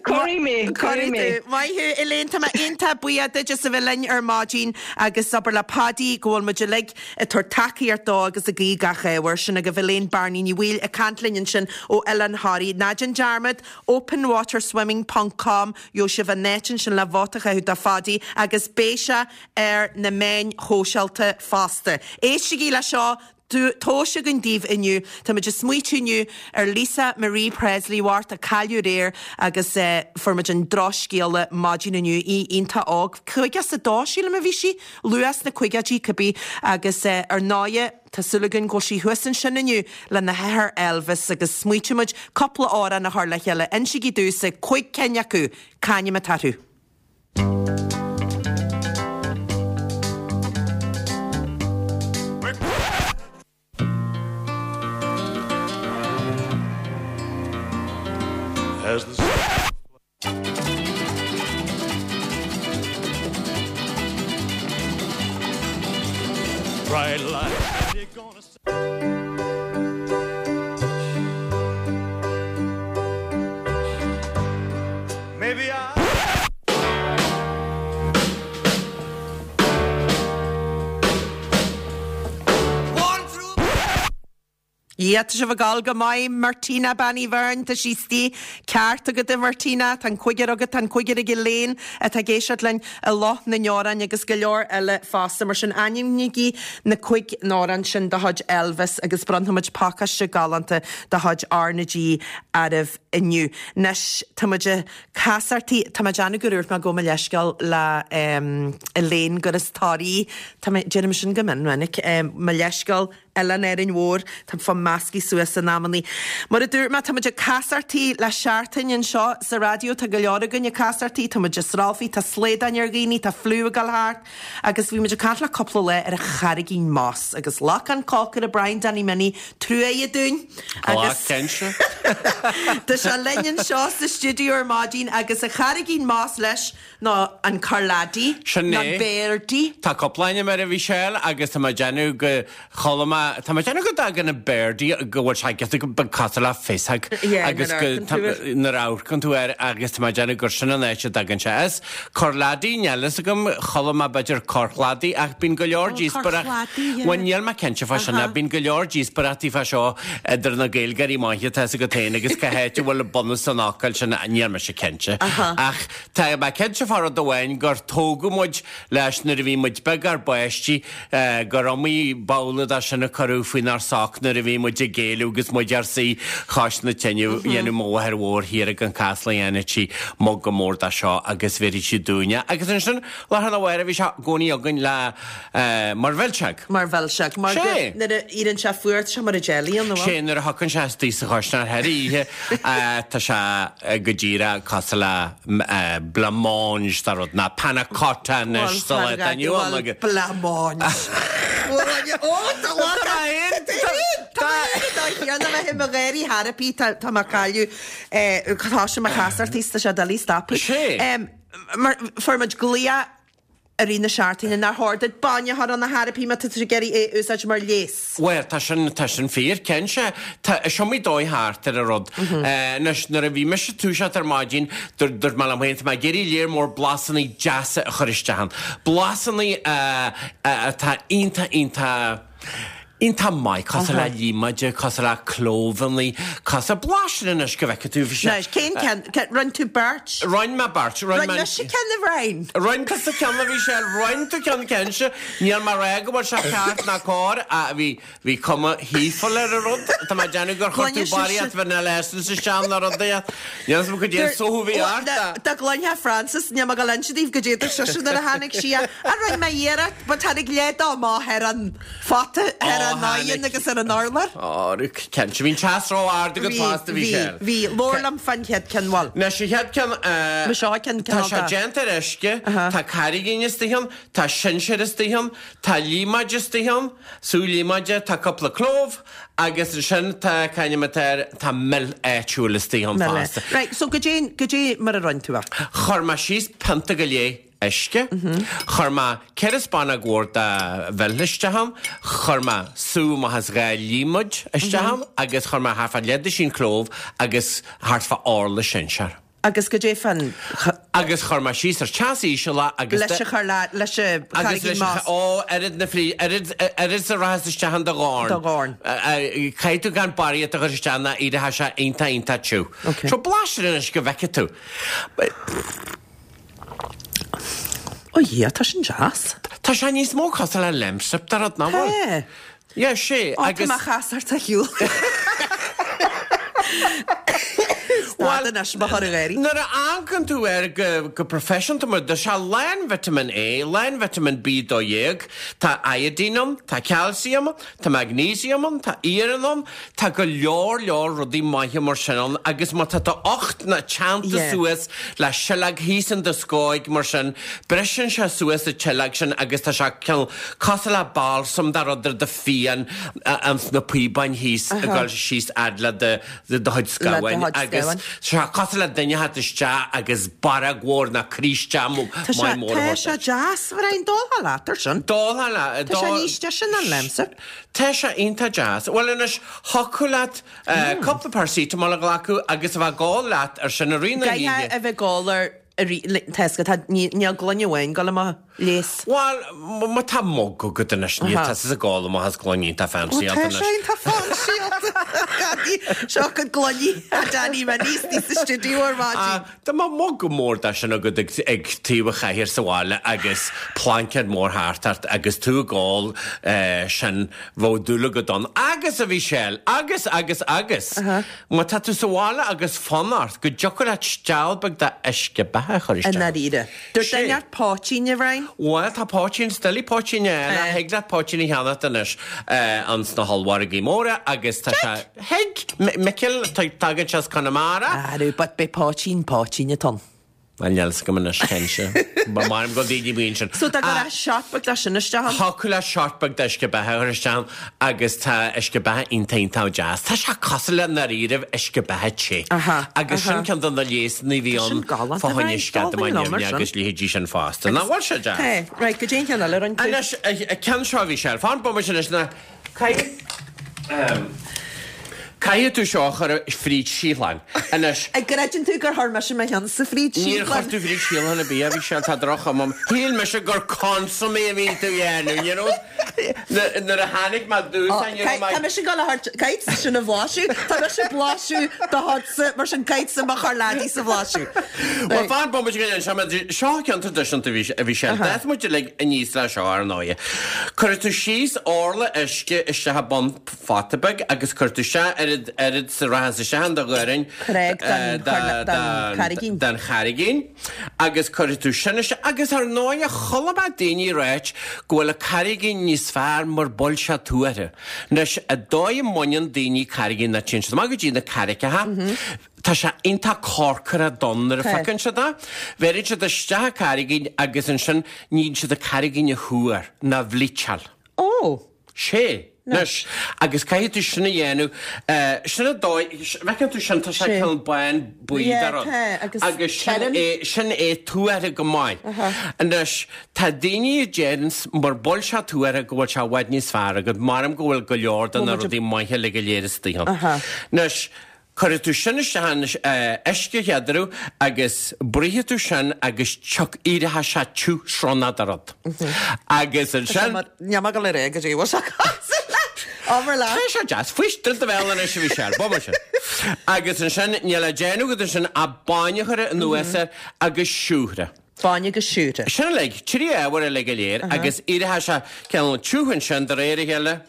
Cuirfidh mé, cuirfidh mé. Maith thú, Elaine, tá mé iontach buíoch duit as a bheith linn ar maidin agus abair le Paddy go bhfuil muid uilig ag tabhairt tacaíocht dó agus ag guí gach ádh air. Sin agaibh Elaine Bearnaí Ní Bhaoill ag caint linn ansin ó Oileán Thoraí. Ná déan dearmad, openwaterswimming ponc com, gheobhaidh sibh an áit ansin le vóta a chaitheamh do Phaddy agus beidh sé ar na meáin shóisialta fosta. Éistigí le seo, tomhais againn daoibh inniu. Tá muid ag smaoitiú inniu ar Lisa Marie Presley Mhart a cailleadh aréir agus fuair muid an drochscéala maidin inniu, í iontach óg, caoga is a dó sílim a bhí sí, luath sna caogaidí cibé agus ar ndóigh tá súil againn go bhfuil sí thuas ansin inniu lena hathair Elvis agus smaoitigh muid cúpla amhrán a chur le chéile. Insígí domhsa cúig cinn acu, c'ainm atá orthu? As the bright light you're gonna Maybe I Yeah, tá sibh ag gabháil go maith, Martina Bean Uí Bheirn, tá sí istigh ceart agat a Mhartina, tá an cúigear agat, tá an cúigear ag Elaine atá ag éisteacht linn i Loch na nDeorán agus go leor eile fosta. Mar sin ainmnígí na cúig n-amhrán sin de chuid Elvis agus bronnfaimid pacáiste galánta de chuid R na G oraibh inniu. Anois tá muid ag casartaí, tá mé ag déanamh go dúirt mé gabh mo leithscéal le Elaine gur as Toraigh, tá mé, déanaim sin go mion minic, mo leithscéal Oileán Árainn Mhór, tá fá measctha suas in amannaí. Mar a dúirt mé, tá muid ag casartaí le seachtain anseo sa raidió, tá go leor againn ag casartaí, tá muid ag sralfaí, tá slaodáin ar dhaoine, tá fliú ag dul thart, agus bhí muid ag caint le cúpla lá ar an Charraigín Moss agus ghlac an cócaire Brian Danny Minnie truaighe dúinn agus Tá sé linn anseo sa stiúideo ar maidin agus an Charraigín Moss leis nó an Corladi Sin nó é. Birdie. Tá cúpla ainm air a Mhichelle agus tá mé ag déanamh go chuala mé tá mé ag déanamh go dtagann an Birdie go bhfuil sé giota beag cosúil le féasóg Yeah, agus nuair go a amharcann tú air. nuair a amharcann tú air agus tá mé ag déanamh gur sin an áit a dtagann sé as. Corladi níl fhios agam chuala mé b'fhéidir Corchladi ach bíonn go leor Oh, díospoireacht Corchladi, yeah. Bhuel níl mé cinnte fá sin Aha. bíonn go leor díospoireachtaí fá seo idir na Gaeilgeoirí maithe tá agat féin agus cá háit a bhfuil bunús an fhocail sin níl mise cinnte. Aha. Ach tá mé cinnte fá rud amháin gur tógadh muid leis nuair a bhí muid beag ár bpáistí eh, gur iomaí babhla de sin a cuireadh faoinár soc nuair a bhí muid ag géilleadh agus muid ár suí cois na tine dhéanadh mo mháthair mhór thiar ag an Casla dhéanadh sí mug mór de seo agus bheireadh sí dúinne. Agus ansin lá na bhhair a bhí sé i gcónaí againn le eh, mar mhilseog. Mar mhilseog, mar Sé. go nuair a éiríonn sé fuar tá sé mar a jelly an Sé nuair a thagann sé istigh sa chuisneoir thar oíche eh, tá sé eh, go díreach cosúil le m- eh, blancmange tá rud ná panna cotta anois sa lá atá inniu ann agus- Blancmange. Ó Tá mo ghéirí therapy tá má cailleadh tá sé mo chasartaí tá sé doiligh stopadh. Sé. Mar fuair muid glaoch i rith na seachtaine nár chóir duit bainne a chur ann a therapy má tá tú ag iarraidh é a úsáid mar leigheas. Well, tá sin tá sin fíor cinnte. Tá is iomaí dóigh thart ar an rud. Eh, Anois nuair a bhí mise ag toiseacht ar maidin dúirt mé liom féin tá mé ag iarraidh léar mór blasanna deasa a chur isteach ann. Blasanna eh, eh, atá iontach iontach Iontach maith, cosúil le líomóide, cosúil le clóbhannaí, cosúil blais air anois go bhfeicfidh tú, bhí sé. Anois, cén ceann, rinne tú beirt? Rinne mé beirt, rinne mé. Rinne mise ceann a Bhriain. Rinne tusa ceann a Mhichelle, rinne tú ceann cinnte, níl mé a rá go bhfuil sé ceart ná cóir, ach bhí, bhí cuma shaoithiúil ar an rud, tá mé ag déanamh gur chuir tú barraíocht vanilla essence isteach nó rud éigin, níl a fhios agam cad é an sóthú a bhí ort, ach. Dá gcluinfeá Frances, níl mé ag dul a inse daoibh goidé a dúirt sise nuair a tháinig sí, ach rinne mé iarracht, but tháinig leath dó amach ar an phota, ar an oigheann agus ar an urlár. Ó, cinnte, bhí an teas ró-ard agat fosta, bhí sé. Bhí, bhí. Labhair liom fán chéad ceann, bhuel. Anois, an chéad ceann, Mo seo ceann tá cineál sé de. déanta ar uisce, tá carraigín istigh ann, tá sinsear istigh ann, tá líomóid istigh ann, sú líomóide, tá cúpla clóbh agus ansin tá, c'ainm atá air, tá mil áitiúil istigh ann fosta. Right, so goidé, goidé mar a rinne tú é? Chuir mé síos pionta go leith uisce. Chuir mé ceithre spúnóg mhór de mhil isteach ann, chuir mé sú amach as dhá líomóid isteach ann agus chuir mé thart fá leathduisín clóbh agus thart fá orla sinsear. Agus goidé fán. Agus chuir mé síos ar teas íseal é agus. Leis a chur le, leis a Agus charraigín leis a, más. ó, oiread na frí, oiread, oiread is a rachas isteach in do dhorn. Do dhorn. Caithfidh tú gan barraíocht a chur isteach ná éireoidh sé iontach iontach tiubh. Ok. So blais air anois go bhfeicfidh tú. Ó Dhia, tá sin deas. Tá sé níos mó cosúil le Lemsip de rud, nach bhfuil? Tá. Yeah, sé, Ó, tá agus. mé chas ort a shiúl. Stad anois, mo chara gáirí. Nuair a amharcann tú air go, go proifisiúnta mar, tá sé lán vitamin A, lán vitamin B dó dhéag, tá iodine ann, tá calcium ann, tá magnesium ann, tá iarann ann, tá go leor leor rudaí maithe mar sin ann agus má tá d'ucht ná teannta Yeah. suas le sileog thíos in do scóig mar sin, briseann sé suas an tsileog sin agus tá sé cineál cosúil le balsam de rud ar do phian ins na píobáin thíos ag dul síos fhad le do do chuid scamhain Le do chuid agus scamhain. tá sé cosúil le duine a theacht isteach agus barróg mhór ná críste Tá sé, maith mór a tá thabhairt sé duit. deas, Bhriain, d'ólfá leat ar sin. D'ólfá leat. Tá sé níos deise ná an Lemsip. Tá sé iontach deas. Bhuel anois, thiocfadh leat cúpla paracetamol a ghlacadh agus a bheith ag gabháil leat ar sin i rith na Caithfidh hoíche. a bheith ag gabháil ar tá a fhios agat, níl gloine amháin ag gabháil i mo leigheas. Bhuel, má tá mug agat anois, níl tusa ag gabháil amach as gloine iontach fancy Ó, tá sé iontach fancy. Seo cuid gloiní a Danny Minnie sa stiúideo ar maidin. Dá mbeadh mug mór de sin agat ag ag taobh an chathaoir sa bhaile agus plaincéad mór thart ort agus tú ag ól sin bheadh dúil agat ann. Agus a Mhichelle, agus, agus, agus, má tá tú sa bhaile agus fonn ort go dtiocfadh leat steall beag de uisce beatha a chur I isteach. ndáiríre. Dúirt Sé. duine ort poitín, a Bhriain? Bhuel, tá poitín, doiligh poitín a fháil, Eh. thig leat poitín a cheannacht anois ins na hollmhargaí móra agus tá sé, thig, Micil, tagann sé as Conamara. Arú, but beidh poitín, poitín atá ann. Bhuel, níl 'fhios agam anois cinnte. Ba maith liom go daoine buíon sin. So dá gcuirfeá shot beag de sin isteach ann? Thiocfadh leat shot beag d'uisce beatha a chur isteach ann agus tá uisce beatha iontach iontach deas. Tá sé cosúil le ndáiríribh uisce beatha te. Aha, Agus sin aha. ceann de na leigheasanna a bhí Tá ann sin galánta, fá choinne right, sceadamán dul liom ar neamhní sin. agus leithéidí sin fosta. Nach bhfuil sé deas? Tá, right, goidé an ceann eile a rinne tú. Anois, an ceann seo a Mhichelle, fan bomaite anois ná caithfidh, ehm, caithfidh tú seo a chur fríd síothlán. Anois. An gcreideann tú gur chuir mise mo cheann sa fríd Níor síothlán? chuir tú fríd síothlán ar bith, a Mhichelle, tá droch-chuma orm. Shíl mise gur consommé a bhí tú a dhéanamh, you know? Nuair a tháinig mé dtús, Ó, you know, caith- Tá mise ag dul a thabhairt, caithfidh sin a bhlaiseadh, tá mise ag blaiseadh do chuidse, mar sin caithfidh mo chorrleadaí a bhlaiseadh. Bhuel, fan bomaite go ndéan seo, mar seo ceann traidisiúnta a bhí a bhí sé. D'fhás muid uilig aníos le seo, ar ndóighe. Cuirfidh tú síos orla uisce isteach i bun phota beag agus cuirfidh tú isteach oiread oiread is a rachas isteach in do dhoirn Creag den chorla- den charraigín. den charraigín agus cuirfidh tú sin isteach agus ar ndóighe chuala mé daoine ag ráit go bhfuil an carraigín níos fearr mura bhfuil sé tuaithe. Anois, an dóigh a mbaineann daoine carraigín ná téann siad amach go dtí na carraigeacha, tá sé iontach corcra donn nuair a Tá. phiocann siad é. Bheireann siad isteach an carraigín agus ansin níonn siad an carraigín a thuar ná a bhlíteáil. Ó! Sé. Anois, agus caithfidh tú sin a dhéanamh, sin an dóigh, bhfeiceann tú sin, tá sé Sé. cineál bán buí Yeah, de rud. tá, agus Agus sin tirim. é, sin é tuaithe go maith. Anois, tá daoine a deireanns mura bhfuil sé tuaithe go bhfuil sé i bhfad níos fearr agat, maram go bhfuil go leor de na Bhfuil muid rudaí maithe uilig go léir istigh ann. Aha. Anois, cuirfidh tú sin isteach in uisce chéad agus bruithfidh tú sin agus tioc éireoidh sé tiubh sronnach de rud. Agus ansin. Níl mé ag dul a rá goidé bhfuil sé cosúil le. Abair leat. Tá sé deas, faois dul do bhéal anois a Mhichelle, b'fhada sin. Agus ansin, níl le déanamh agat ansin ach bainne a chur anuas air agus siúcra. Bainne agus siúcra. Sin uilig, trí ábhar uilig go léir agus éireoidh sé cineál tiubh ansin de réir a chéile.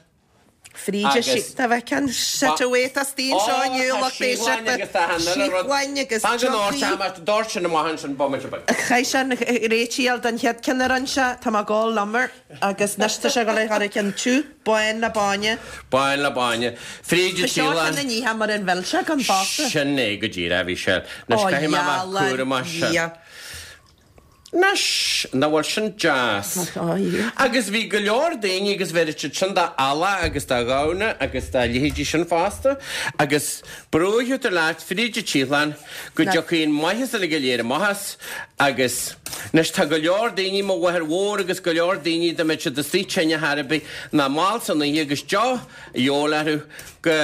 Fríde sí, tá bheith ceann set away tá stín seo inniu lucht éisteachta. Síochlainn agus teochaí. Dóirt sin amach ansin bomaite beag. Chaith sé an réitíl den chéad ceann a rinne sé, tá mé ag gabháil lomar agus anois tá sé ag dul a chur ceann tiubh, bán le bainne. Bán le bainne. Fríd Ba seo ceann a nítheá mar an mhilseach an fosta. Sin é go díreach, a Mhichelle. Anois caithfidh mé a bheith cúramach sin. Anois, nach bhfuil sin deas? Agus bhí go leor daoine agus bheir siad sin do eala agus do ghamhna agus dá leithéidí sin fosta agus brúfaidh tú leat fríd an tsiochlán go dtiocfaidh an maitheas uilig go léir amach as agus anois tá go leor daoine, mo mháthair mhór agus go leor daoine dá mbeadh siad istigh tinn ar chor ar bith ná mall san oíche agus deoch a dhíobháil orthu go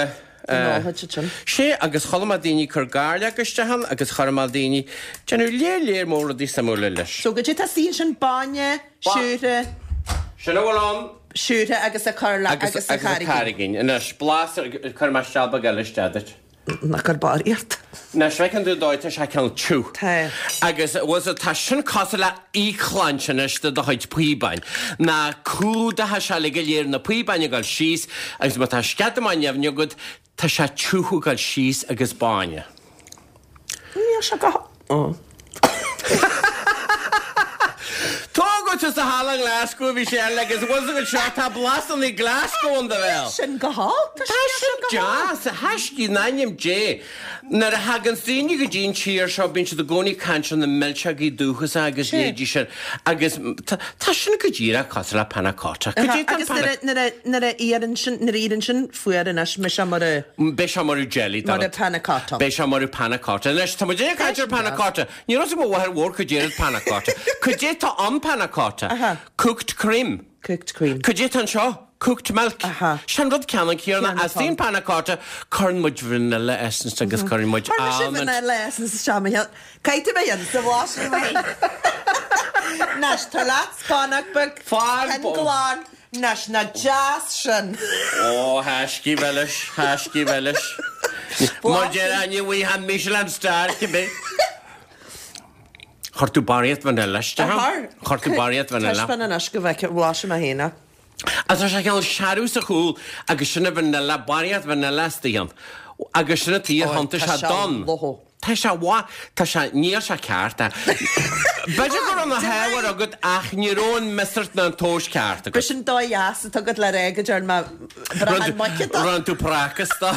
Sea, agus chuala mé daoine ag cur gairleog isteach ann agus chuala mé daoine ag déanamh léar léar mór rudaí suimiúla leis. So goidé tá istigh ansin bainne, siúcra. Sin a bhfuil ann. Siúcra agus a cur le agus a Agus a carraigín. Anois, blas, cuirfidh mé seal beag eile isteach duit. Ná cuir barraíocht. Anois, feiceann tú an dóigh, tá sé cineál tiubh. Tá. Agus, bhfuil 's agat, tá sin cosúil le íocshláinte anois do do chuid píobáin. Ná clúdaithe sé uilig go léir na píobáin ag dul síos agus má tá sceadamán nimhne agat, tá sé tiubh ag dul síos agus bainne. Níl sé go h-. Tógadh tú sa halla i nGlasgow a Mhichelle agus bhfuil 's agat seo, tá blasanna Glasgow in do bhéal. Sin go holc, Tá sin deas, a thaiscí, in ainm Dé. Nuair a thagann daoine go dtí an tír seo bíonn siad i gcónaí ag caint ar na milseogaí dúchasacha agus leithéidí sin agus tá sin go díreach cosúil le panna cotta. Cad é tá Agus nuair a, nuair a, nuair a éiríonn sin, nuair a éiríonn sin fuar anois, beidh sé mar a. Beidh sé mar a jelly, Mar a panna cotta. Beidh sé mar a panna cotta. Anois, tá muid ag caint ar panna cotta. Ní raibh 's ag mo mháthair mhór cad é panna cotta. Cad é tá ann panna cotta? Aha. Cooked cream. Cooked cream. Cad é tá anseo? Cooked milk. Aha. Sin rud ceannann céanna. Ceannann As daon panna cotta, cuireann muid vanilla essence agus cuireann muid Chuir mise almond. vanilla essence isteach mo cheann. Caithfidh mé an sa bhlas mé. Anois, tar leat spánach beag. Fán Cinn glan. Anois, nach deas sin. Ó, thaiscí mhilis, thaiscí mhilis. Mar deir Áine Bhuí, Michelin star cibé. Chuir tú barraíocht vanilla isteach ann. Chuir tú barraíocht vanilla. Taispeáin anois go bhfeicfidh, bhlaisfidh mé féin é. Agus tá sé cineál searbh sa chúl agus sin an vanilla, barraíocht vanilla istigh ann. Agus sin an tuige a thiontaigh sé donn. Tá sé mhaith, tá sé, níl sé ceart. B'fhéidir go raibh na hábhair agat ach ní raibh an miosúr ná an tomhas ceart agat. B'shin dóigh dheas atá agat le rá go dtearn mé brachán muice dó. Rinne tú prácas dó.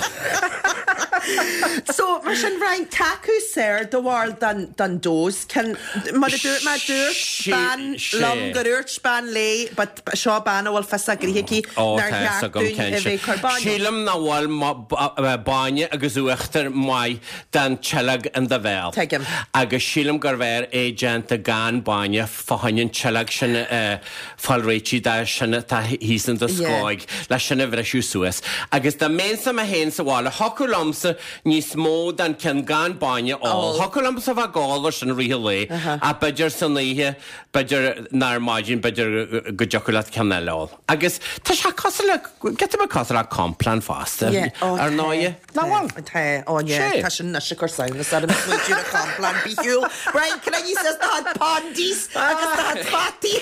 So, mar sin, Brian, cé acu is fearr do bharúil den, den dose? Cen, mar a dúirt mé, dúirt bean liom gur úirt bean léi, but seo bean a bhfuil fios a gnoithe aici, Ó, nár tá fhios cheart agam dúinn cén a bheith ag cur bainne. Sílim nach bhfuil bainne agus uachtar maith don tsileog in do bhéal. Tuigim. Agus sílim gurbh fhearr é déanta gan bainne fá choinne an tsileog sin a fáil réitithe de sin atá thíos in do scóig le sin a bhriseadh suas. Agus dá mbeinnse mé féin sa bhaile, thiocfadh liomsa níos mó den ceann gan bainne a ól. Thiocfadh liomsa bheith ag ól air sin i rith an lae, ach b'fhéidir san oíche, b'fhéidir ná ar maidin, b'fhéidir go dtiocfadh leat ceann eile a ól. Agus tá sé cosúil le, giota beag cosúil le Complan fosta, ar ndóighe. Nach bhfuil? Tá, ó yeah, tá sin anois ag cur samhnas orm, smaoitiú ar Complan bithiúil. Brian, can I use do chuid pondies agus do chuid fataí?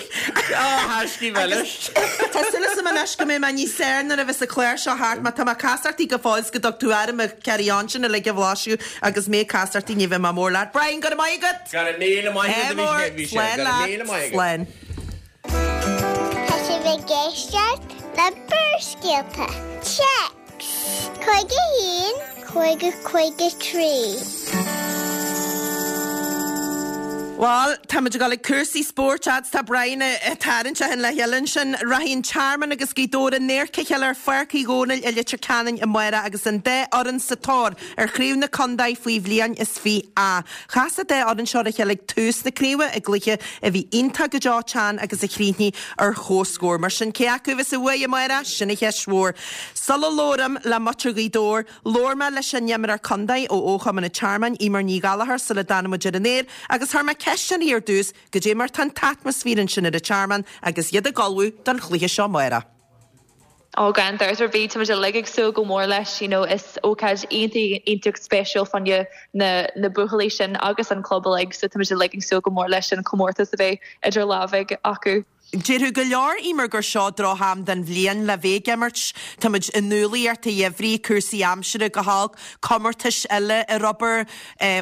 Á, thaiscí mhilis. Tá súil agam anois go mbeidh mé níos saor nuair a bheas an clár seo thart, má tá mé ag casachtaí go fóill 's go dtug tú orm an carry on sin uilig a bhlaiseadh agus mé ag casachtaí ní bheidh mé mór leat. Brian, go raibh maith agat! Go raibh míle maith agat, a bhí sé, go raibh míle maith agat. Slán. Tá sibh ag éisteacht le Barrscéalta. Téacs cúig a haon, cúig a cúig a trí. Bhuel, táimid ag dul ag cúrsaí spóirt fhad 's tá Brian ag tarraingt a cheann le chéile ansin. Rachaidh an Tearmann agus Gaoth Dobhair in adharca a chéile ar Pháirc Uí Dhónaill i Leitir Ceanainn amárach agus an dá fhoireann sa tóir ar chraobh na contae faoi bhliain is fiche A. Chas an dá fhoireann seo ar a chéile ag tús na craoibhe i gcluiche a bhí iontach go deo teann agus a chríochnaigh ar chomhscór. Mar sin, cé acu a bheas sa bhuaidh amárach? Sin an cheist mhór. Sula labhraím le muintir Ghaoth Dobhair, labhair mé le sean-imreoir contae ó Chumann an Tearmainn, Eimear Ní Ghallchóir, sula dtáinig muid ar an aer agus chuir mé ceist uirthi ar dtús goidé mar tá an t-atmaisféar ansin ar an Tearmann agus iad ag ullmhú don chluiche seo amárach. Ó gan dabht ar bith, táimid uilig ag súil go mór leis, you know, is ócáid iontach iontach speisialta fá choinne na na buachaillí sin agus an club uilig, so táimid uilig ag súil go mór leis an comórtas a bheidh idir lámha acu. Déarfadh go leor, Eimear, gur seo drocham den bhliain le bheith ag imirt. Táimid i ndúlaíocht a gheimhridh, cúrsaí aimsire go holc, comórtais eile ar obair,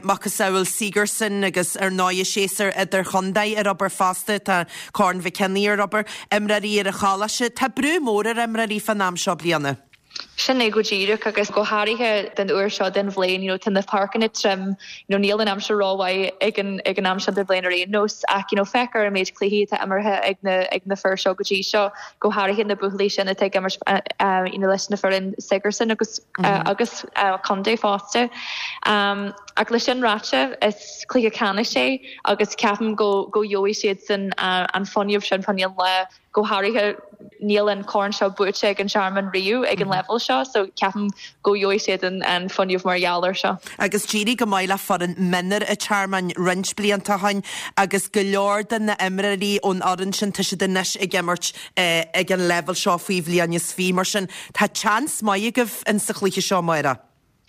macasamhail Sigerson agus ar ndóigh séasúr idirchontae ar obair fosta, tá Corn Mhic Cionnaith ar obair, imreoirí ar an choláiste. Tá brú mór ar imreoirí fán am seo bliana. Sin é go díreach agus go háirithe den uair seo den bhliain, you know, tá na páirceanna tirim, you know, níl an aimsir rómhaith ag an ag an am seo den bhliain ar aon nós ach you know, féach ar an méid cluichí atá imeartha ag na ag na fir seo go dtí seo, go háirithe na buachaillí sin atá ag imirt uh, uh, you know, leis na foireann Sigerson agus mm -hmm. uh, agus uh, contae fosta. Um, ach le sin ráite is cluiche ceannais é agus ceapaim go go gheobhaidh siad sin uh, an fuinneamh sin fá choinne an lá go háirithe níl an corn seo buaite ag an Tearmann riamh ag an level seo, so ceapaim go gheobhaidh siad an, an fuinneamh mar gheall air seo. Agus d'éirigh go maith le foireann mionúir an Tearmainn roinnt blianta ó shin agus go leor de na imreoirí ón fhoireann sin tá siad anois ag imirt eh, ag an level seo faoi bhliain is fiche mar sin tá seans maith agaibh in sa chluiche seo amárach.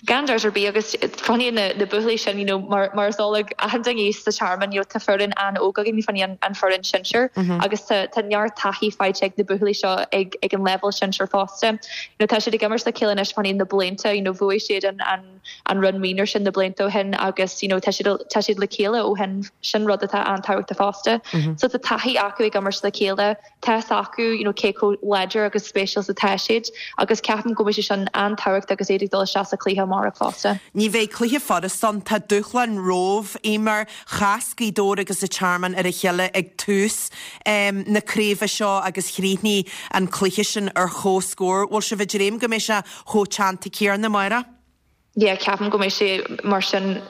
Gan dabht ar bith agus fá choinne na, na buachaillí sin you know, mar, mar is eol ag achan duine sa Tearmann you know, tá foireann an-óg againn fá choinne an, an foireann sinsir mm -hmm. agus tá, tá neart taithí faighte ag na buachaillí seo ag, ag an level sinsir fosta. You know, tá siad ag imirt le chéile anois fá choinne na blianta you know, bhuaigh siad an, an, an run mionúir sin na blianta ó shin agus you know, tá siad tá siad le chéile ó shin sin rud atá an-tábhachtach fosta. Mm -hmm. So tá taithí acu ag imirt le chéile tá acu you know, cé chomh láidir agus speisialta atá siad agus ceapaim go mbeidh sé sin an-tábhachtach agus iad ag dul isteach sa chluiche amárach fosta. Ní bheidh cluiche furasta ann tá dúshlán romhaibh Eimear chas Gaoth Dobhair agus an Tearmann ar a chéile ag tús um, na craoibhe seo agus chríochnaigh an cluiche sin ar chomhscór, Bhfuil sibh ag dréim go mbeidh sé chomh teannta céanna amárach? Yeah, ceapaim go mbeidh sé mar sin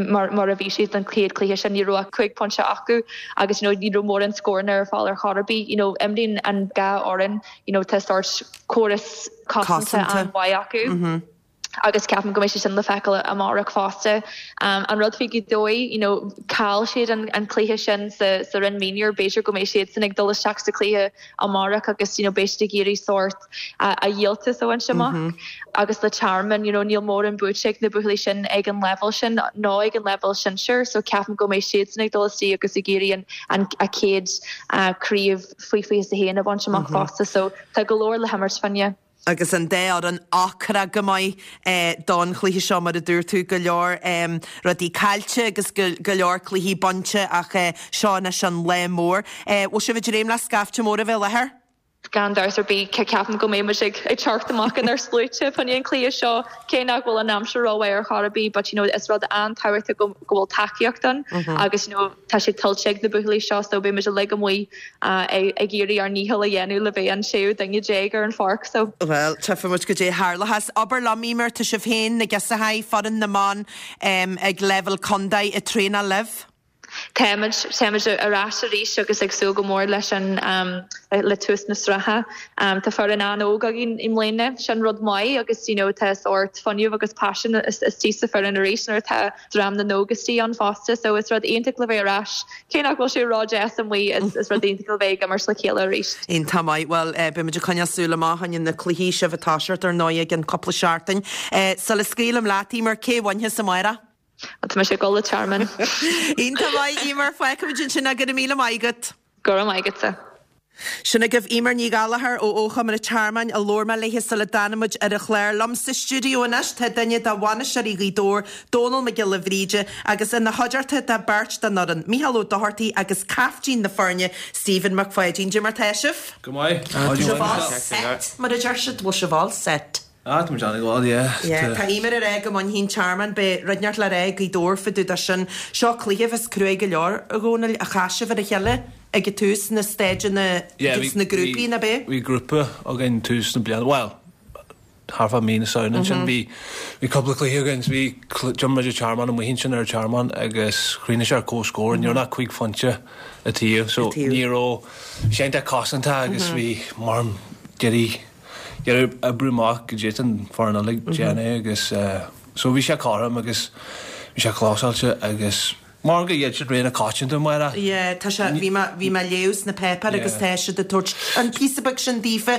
mar, mar a bhí siad an chéad chluiche sin ní raibh cúig pointe acu agus you know, ní raibh mórán scóranna ar fáil ar chor ar bith you know, imríonn an dhá fhoireann you know, tá sórt córas cosanta an-mhaith acu. Mm -hmm. agus ceapaim go mbeidh sé sin le feiceáil amárach fosta. Um, an rud faoi Ghaoth Dobhair you know, chaill siad an, an cluiche sin sa, sa roinn mionúir b'fhéidir go mbeidh siad sin ag dul isteach sa chluiche amárach agus you know, beidh siad ag iarraidh sórt a, a dhíoltas a bhaint amach mm -hmm. agus le Tearmann you know, níl mórán buaite ag na buachaillí sin ag an level sin ná ag an level sinsir, so ceapaim go mbeidh siad sin ag dul isteach agus ag iarraidh an, an a chéad uh, craobh faoi fiche a haon a bhaint amach mm -hmm. fosta, so tá go leor le himirt fá choinne. agus an dá fhoireann ocrach go maith eh, don chluiche seo mar a dúirt tú go leor um, rudaí caillte agus go, go leor cluichí bainte ach eh, seo anois an lá mór. Eh, bhfuil sibh ag dréim le scaifte mór a bheith i láthair? Gan dabht ar bith ceapaim go mbeidh ag ag teacht amach in ar sluaite fá choinne an chluiche seo cé nach bhfuil an aimsir rómhaith ar chor ar bith, but you know, is rud an-tábhachtach go go bhfuil tacaíocht ann mm -hmm. agus you know, tá sé tuillte ag na buachaillí seo so beidh muid amuigh uh, ag iarraidh ár ndícheall a dhéanamh le bheith an séú duine déag ar an pháirc so. Well, tchífimid goidé a tharlós. Abair liom Eimear tá sibh féin na gesahaí foireann na mban um, ag level contae ag traenáil libh? Táimid táimid ar ais arís agus ag súil go mór leis an um, le tús na sraithe. Um, tá foireann an-óg againn i mbliana sin rud maith agus you know, tá sórt fuinneamh agus paisean istigh sa foireann arís nuair atá dream na n-óg istigh ann fosta, so is rud iontach le bheith ar ais cé nach bhfuil sé ródheas amuigh is, is rud iontach le bheith ag imirt le chéile arís. Iontach maith well uh, beimid ag coinneáil súil amach in na cluichí sibh atá sirt ar ndóigh ag an cúpla seachtain. Uh, Sula scaoilim leat Eimear cé bhainfidh amárach? Tá sé go le Tearmann. Iontach maith Eimear feicfimid sin go raibh míle maith agat. Go raibh maith agatsa. Sin agaibh Eimear Ní Ghallchóir ó Ógchumann an Tearmainn a labhair mé léi sula dtáinig muid ar an chlár liom sa stiúideo anois tá duine de bhainisteoirí Ghaoth Dobhair, Dónal Mac Giolla Bhríde agus ina chuideachta tá beirt den fhoireann, Micheál Ó Dochartaigh agus caiftín na foirne Stephen Mac Pháidín. Goidé mar tá sibh? Go maith. Set mar a deir siad bhfuil sibh all set. Ah, tá Johnny go yeah. Tá Eimear ag rá go mbainfidh an Tearmann beidh rud inteacht le rá Gaoth Dobhair fá dtaobh de sin seo cluiche is cruaidh go leor a Dhónaill a chas sibh ar a chéile ag tús na staideanna na grúpaí na bé? Bhí grúpa againn tús na bliana well thar fa mí na samhna sin bhí bhí cúpla cluiche againn bhí d'imir muid Tearmann amuigh sin ar Tearmann agus chríochnaigh sé ar comhscór ní raibh ach cúig phointe an taobh so ní raibh sé cosanta agus bhí mar deirí iarraidh oibriú amach go dtí an foireann eile déanamh agus so bhí sé cothrom agus bhí sé clósáilte agus Mar go iad siad réine coitianta mar Yeah, tá sé bhí mé bhí mé léamh sna páipéir agus tá siad ag tabhairt an píosa beag sin daofa.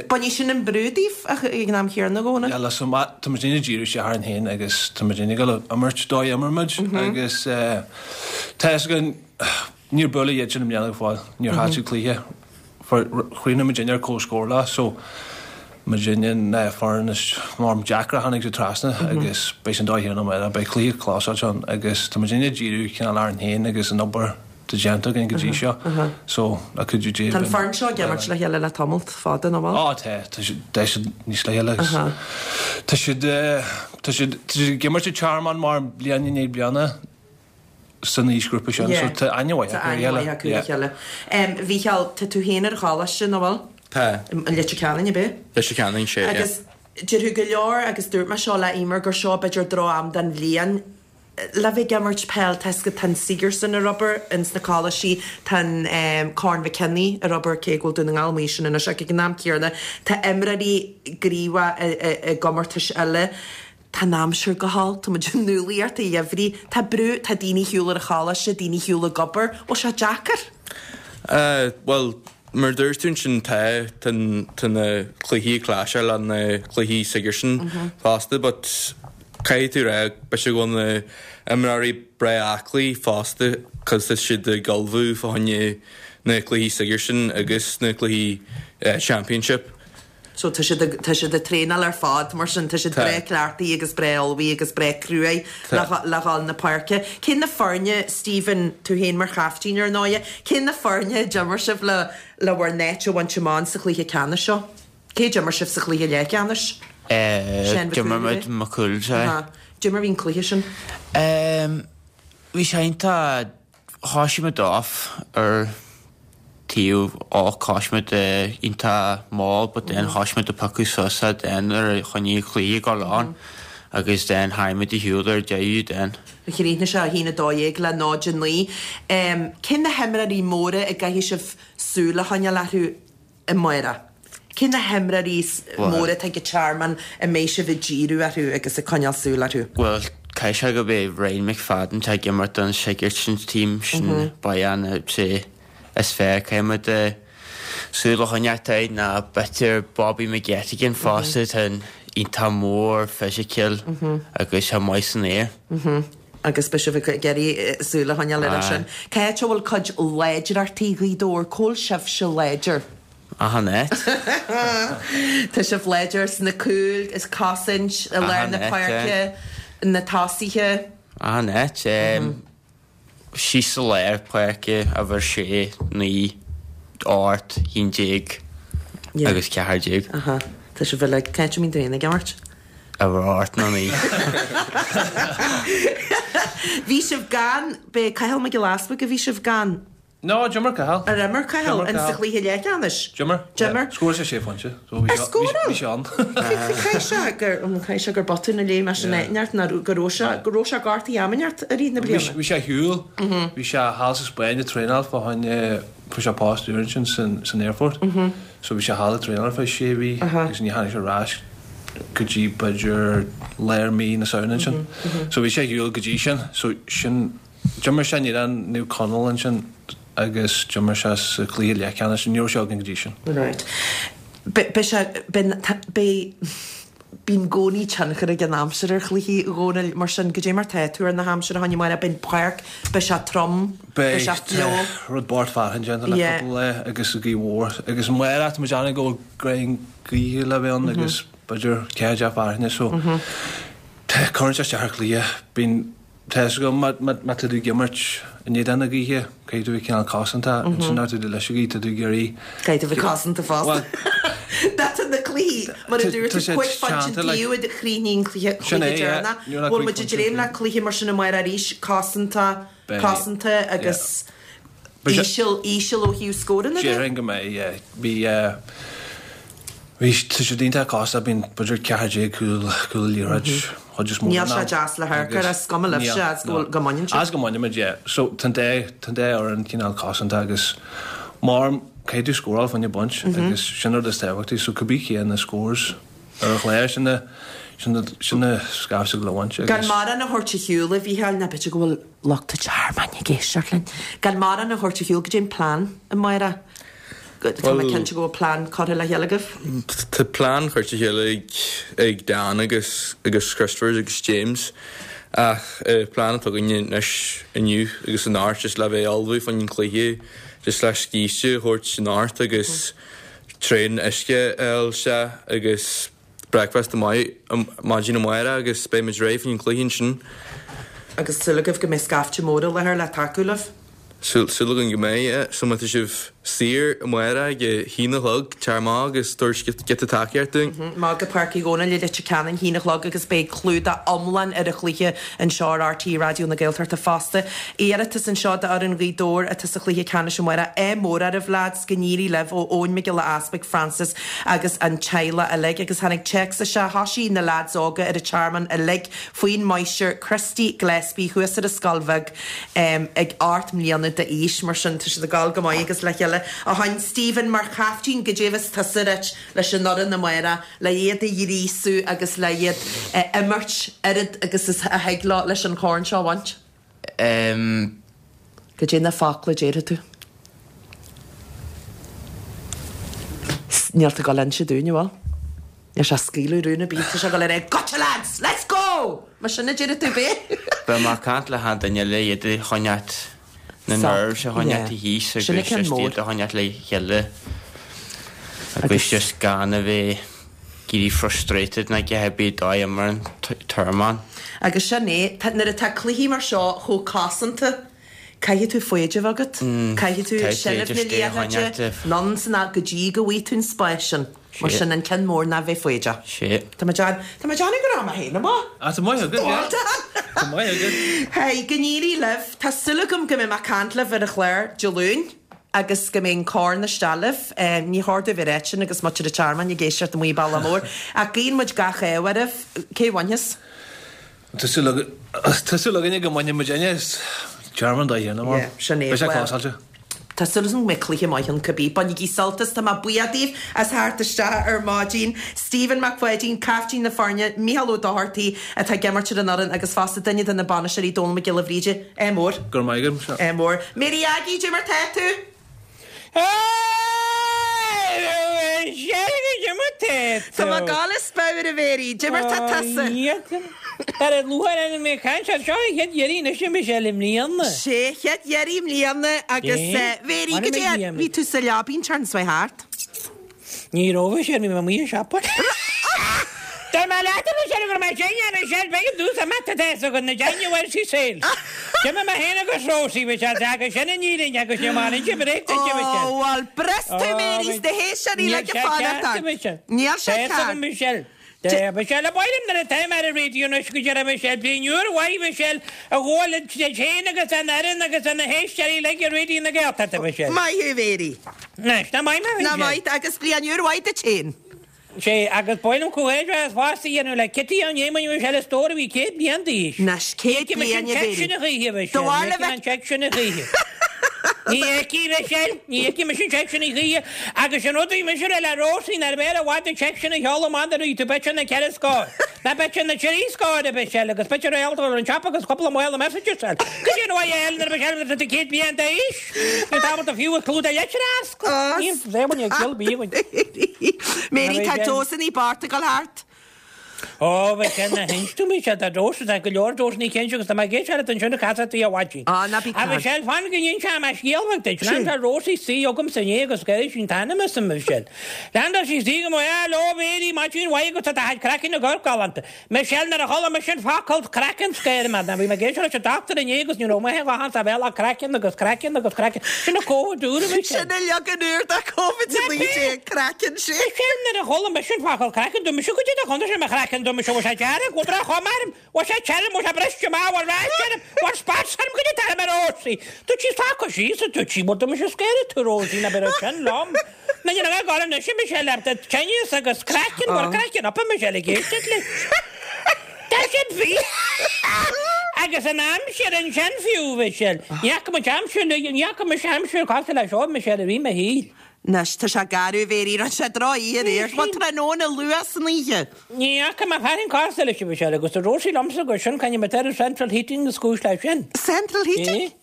Bainfidh sin an brú díobh ach ag an am chéanna a Dhónaill. Yeah, listen, tá muid ag díriú isteach orainn féin agus tá muid ag dul a imirt dóigh a imir muid agus tá fhios againn níor buaileadh iad sin i mbliana go fóill, níor chaill siad cluiche. Chríochnaigh muid ar comhscór leo so muidinne na foireann is mar deacra a tháinig siad trasna agus beidh sin dóigh chéanna amárach, beidh cluiche clósáilte ann agus tá muidinne ag díriú cineál orainn féin agus an obair atá déanta againn go dtí seo so le cuidiú Dé Tá an foireann seo ag imirt le chéile le tamalt fada, nach bhfuil? Á tá, tá siad, tá siad níos le chéile agus tá siad, tá siad, tá siad ag imirt i Tearmann mar bliain i ndiaidh bliana. san aoisghrúpa sin so tá aithne mhaith acu ar a chéile. Tá aithne mhaith acu ar a chéile. Mhícheál, tá tú féin ar an choláiste, nach bhfuil? Tá. I Leitir Ceanainn, ab ea? Leitir Ceanainn, sea, yeah. Agus déarfadh go leor, agus dúirt mé seo le Eimear, gur seo b'fhéidir droch-am den bhliain le bheith ag imirt peil, tá 'fhios agat, tá an Sigerson ar obair ins na coláistí, tá an Corn Mhic Cionnaith ar obair, cé go bhfuil Dún na nGall amuigh ansin anois, ach ag an am céanna tá imreoirí gníomhach i gcomórtais eile. Tá an aimsir go holc, tá muid i ndúlaíocht an gheimhridh, tá brú, tá daoine ar shiúl ar an choláiste, daoine ar shiúl ag obair, bhfuil sé deacair? Eh, bhuel, mar a dúirt tú ansin, tá, tá, tá na cluichí ag clasháil le na cluichí Sigerson fosta, but caithfidh tú rá, beidh sé go bhfuil na imreoirí breá aclaí fosta, cos tá siad ag ullmhú fá choinne na cluichí Sigerson agus na cluichí Championship. So tá siad ag, tá siad ag traenáil ar fad, mar sin tá siad breá cleachtaithe agus breá ullmhaithe agus breá cruaidh le, le dhul na páirce. Cén na foirne, Stephen, tú féin mar chaiftín ar ndóighe, cén na foirne a d'imir sibh le, le bhur n-áit a bhaint amach sa chluiche ceannais seo? Cé d'imir sibh sa chluiche leathcheannais? Eh, d'imir muid Maigh Cumhaill, sea. Aha. Cad é mar a bhí an cluiche sin? Em, bhí sé iontach, thoisigh muid off ar taobh olc thoisigh muid iontach mall but then thoisigh muid ag piocadh suas then nuair a choinnigh an cluiche ag dul on agus then tharraing muid ar shiúl ar deireadh then. Chríochnaigh sé a haon a dó dhéag le náid a naoi. Cé na himreoirí móra a gcaithfidh sibh súil a choinneáil orthu amárach? Cé na himreoirí móra atá ag an Tearmann a mbeidh sibh ag díriú orthu agus ag coinneáil súil orthu? Bhuel, caithfidh sé go b'é Ryan McFadden atá ag imirt don Sigerson team sin ba ea an sé is fearr caithfidh muid súil a choinneáil air ná b'fhéidir Bobby McGettigan fosta atá iontach mór fisiciúil agus sé maith san aer. Agus beidh sibh ag iarraidh súil a choinneáil air sin. Cá háit a bhfuil cuid láidreachtaí Ghaoth Dobhair? Cá bhfuil sibhse láidir? Achan áit. Tá sibh láidir sna cúil, is cosaint, i lár na páirce, na tosaithe. Achan áit. Síos sa lár páirce, uimhir sé, naoi, ocht, haon déag agus ceathair déag. Aha. Tá sibh uilig, cá háit a mbíonn tú féin ag imirt? Uimhir ocht nó naoi. Bhí sibh gan, b'é Cathal Mac Giolla Easbuig a bhí sibh gan? No, d'imir Cathal. Ar imir Cathal in sa chluiche leathcheannais? D'imir. D'imir. Scóráil sé sé phointe. So bhí Ar scóráil? bhí sé ann. Caithfidh sé gur caithfidh sé gur botún a léigh mé sin áit ná go raibh sé go raibh sé gortaithe am inteacht i rith na bliana. Bhí sé ar shiúl. Bhí sé thall sa Spáinn ag traenáil fá choinne fuair sé post úr ansin san san aerfort. So bhí sé thall ag traenáil ar feadh sé mhí agus ní tháinig sé ar ais go dtí b'fhéidir lár mí na Samhna ansin. So bhí sé ar shiúl go dtí sin. So sin D'imir sé in éadan Naomh Conaill ansin agus d'imir sé sa chluiche leathcheannais. Ní raibh sé againn go dtí sin. Right. Beidh sé, beidh, bíonn i gcónaí tionchar ag an aimsir ar chluichí, a Dhónaill, mar sin, goidé mar tá tú ar na haimsire a choinne amárach, beidh an páirc, beidh sé trom, beidh sé fliuch. Beidh, tá rud bocht fearthainn déanta le cúpla lá agus gaoth mhór agus amárach tá muid ag déanamh go bhfuil greim gaoithe le bheith ann agus b'fhéidir ceathair déag fearthainne so tá, cuireann sé isteach ar chluiche, bíonn Tá fhios agam, má tá tú ag imirt in éadan na gaoithe, caithfidh tú a bheith cineál cosanta, ansin nuair atá tú leis an ghaoth, tá tú ag iarraidh. Caithfidh tú a bheith cosanta fosta. That's na cluichí, mar a dúirt tú, cúig phointe an taobh a chríochnaigh an cluiche deireanach. Bhfuil muid ag dréim le cluiche mar sin amárach arís, cosanta, cosanta agus íseal, íseal ó thaobh scóranna de? Déarfainn go mbeidh, yeah. Bhí, bhí, tá siad iontach cosanta, bíonn b'fhéidir ceathair déag cúl, cúl liathróid, chuid is mó Níl sé deas le hamharc air, is cuma libhse as go go mbaineann sibh. As go mbaineann muid, yeah. So tá an dá, tá an dá fhoireann cineál cosanta agus mar caithfidh tú scóráil fá choinne baint agus sin an rud is tábhachtaí. So cibé cé na scores ar an chlár, sin na, Sin sin na scaifte le bhaint Gan mórán a thabhairt ar shiúl, a Mhícheáil, ná b'fhéidir go bhfuil lucht an Tearmainn ag éisteacht linn. Gan mórán a thabhairt ar shiúl, goidé an plean amárach. Tá mé cinnte go bhfuil plean curtha le chéile agaibh. Tá plean curtha le chéile ag ag Dan agus agus Christopher agus James ach plean atá againne anois inniu agus anocht just le bheith ullmhú fá choinne an cluiche just le scíste a thabhairt anocht agus traein uisce a fháil isteach agus breakfast maith maidin amárach agus beidh muid réidh fá choinne an cluiche ansin. Agus súil agaibh go mbeidh scaifte mór i láthair le tacú libh? Súil againn go mbeidh, yeah. So má tá sibh saor amárach ag a haon a chlog, tar amach agus tabhair giota tacaíocht dúinn. Amach go Páirc Uí Dhónaill i Leitir Ceanainn, haon a chlog agus beidh clúdach iomlán ar an chluiche anseo ar RTÉ Raidió na Gaeltachta fosta. Iarratas anseo d'fhoireann Ghaoth Dobhair atá sa chluiche ceannais amárach. Ádh mór oraibh lads, go n-éirí libh ó Eoin Mac Giolla Easpaig, Francis agus an teaghlach uilig. Agus tháinig téacs isteach, thoisigh na lads óga ar an Tearmann uilig faoin máistir Christy Gillespie thuas ar an Scoil Bheag ag ocht mbliana d'aois, mar sin tá siad ag gabháil go maith agus le chéile. A sheáin Stephen, mar chaiftín, goidé a bheas tusa a ráit leis an fhoireann amárach, le iad a ghríosú agus le iad a imirt oiread agus is a thig leo leis an chorn seo a bhaint? Um. Goidé na focla a déarfaidh tú? Níl tú ag dul a inse dúinn, an bhfuil? Níl sé ag scaoileadh rún ar bith, tá sé ag dul a rá Gotcha lads! Let's go! Mar sin a déarfaidh tú, ab é? Beidh mé ag caint le hachan duine le iad a choinneáilt, na nerves a choinneáilt thíos agus just iad a choinneáilt le chéile agus just gan a bheith ag éirí frustrated ná a dhath ar bith dóigh imir an Tearmann. Agus sin é, nuair atá cluichí mar seo chomh cosanta, caithfidh tú foighid a bheith agat, caithfidh tú seilbh na liathróide, anonn is anall go dtí go bhfaighidh tú an spás sin. Mar sin an ceann mór ná bheith foighdeach. Tá mé déanamh, tá mé déanamh go raibh mé féin amuigh. Ah, tá maith agat, yeah. Tá maith agat. Hey, go n-éirí libh. Tá súil agam go mbeidh mé ag caint libh ar an chlár Dé Luain agus go mbeidh an corn isteach libh. Ní chóir domh a rá sin agus muintir an Tearmainn ag éisteacht amuigh i Bealach Mór. Ach guíonn muid gach ádh oraibh. Cé a bhainfeas? Tá súil againne go mbainfidh muidinne Tearmann dá dhéanamh mar. Sin é. Beidh sé closáilte. Tá súil agam go mbeidh cluiche maith ann cibé. Bainigí sult as, tá mé buíoch daoibh as theacht isteach ar maidin. Stephen Mac Pháidín, caiftín na foirne, Mícheál Ó Dochartaigh atá ag imirt ar an fhoireann agus fosta duine de na bainisteoirí Dónal Mac Giolla Bhríde. Ádh mór. Go raibh maith agat. Ádh mór. Mary Aggie, cad é mar tá tú? Tá mé ag gabháil as pabhar a Mhary, cad é mar tá tusa? Ar an lúcháir orm ag caint air seo an chéad iarraidh anois a Michelle i mbliana. Sé chéad iarraidh i mbliana agus Mary, cad é, bhí tú sa leabaidh an tseachtain seo thart? Ní raibh a Michelle, bhí mé amuigh ag siopa. Dúirt mé leat a Michelle go raibh mé tinn a Michelle, b'éigean domhsa imeacht tá fhios agat na January sales. D'imigh mé féin agus Rosie Michelle, agus sin an fhírinne agus níl mé in inse bréag duit a Michelle. Ó, bhuel, bris tú Mary, sna héisteoirí le go fanacht ort. Níl sé ceart. Michelle. Tá Michelle, ba mhaith liom nuair atá mé ar an raidió anois go deireadh Michelle, bliain úr mhaith Michelle, a ghabháil duit féin agus don fhoireann agus do na héisteoirí uilig ar Raidió na Gaeltachta Michelle. Maith thú Mary. Anois, nach maith mé Nach Michelle? maith, agus bliain úr mhaith duit féin. Sé, agus ba mhaith liom comhghairdeas fosta a dhéanamh le Kitty Ó Néimeann Michelle a stór a bhí céad bliain d'aois. Anois, céad Ní fheicfidh mise bliain an a téacs Mhary. sin a choíche, Do Michelle, ní bharr le fheicfidh mé an bheith. téacs sin a choíche. Ní fheicfidh, Michelle, ní fheicfidh mise an téacs sin a choíche, agus an rud a bhí mise a rá le Róisín ar b'fhearr i bhfad an téacs sin a sheoladh amach nuair a bhí tú b'fhéidir na ceithre scór, ná b'fhéidir na trí scór, a Mhichelle, agus b'fhéidir réalt a bhfuil an siopa agus cúpla mála messages eile. Cad é an mhaith a fháil nuair a Michelle nuair atá tú céad bliain d'aois? Ní tábhachtach fiú a clúdach leitir a fhoscadh. Níl saol ag dul bíonn. Mary, tá dosannaí bocht ag dul thart. Ó, bheadh sé ina hinst dom, bhí sé, tá dós, tá go leor dósannaí cinnte agus tá mé ag éisteacht leat ansin ag casadh tí a mhaidin. Á, ná bí A Mhichelle, fan go n-inseoidh mé scéal beag duit. Leaindeáil Rosie istigh chugamsa inné agus ghair sí an t-ainm asam, a Mhichelle. Leaindeáil sí istigh chugam, Hello, Mary, maidin mhaith agat, tá do chuid craicinn ag amharc galánta. Michelle, nuair a chuala mise an focal craiceann, scair mé. Bhí mé ag éisteacht leis an dochtúir inné agus ní raibh maith a dhath sa bhéal ach craiceann agus craiceann agus craiceann. Sin an Covid úr, a Michelle. Sin an leagan úr de Covid a naoi déag, craiceann sé. Michelle, nuair a chuala mise an focal craiceann, dúirt mise goidé do chontae sé mo chraiceann, dúirt mise bhfuil sé dearg, bhfuil droch-chuma orm, bhfuil sé tirim, bhfuil sé briste amach, bhfuil rash orm, bhfuil spots orm, goidé atá orm a Rosie. Dúirt sí stop síos, a dúirt sí, bhuel dúirt mise scairfidh tú Rosie ná beidh sin liom. Na ní raibh ag anois a Michelle le do tinneas agus craiceann, bhfuil craiceann up a Michelle ag éisteacht leis. Tá sin bhí. Agus an aimsir ansin fiú, Michelle. Ní fhaca muid aimsir, ní fhaca mise aimsir cosúil le seo, Michelle, i rith mo shaoil. Anois, tá sé garbh, a Mhéirí, rinne sé droch-oíche aréir. Bhuel, tráthnóna luath san oíche. Ní fhaca mé fear an cás eile sibh, Michelle, agus a Róisín liomsa gur sin caint ar central heating is cúis leis sin. Central heating?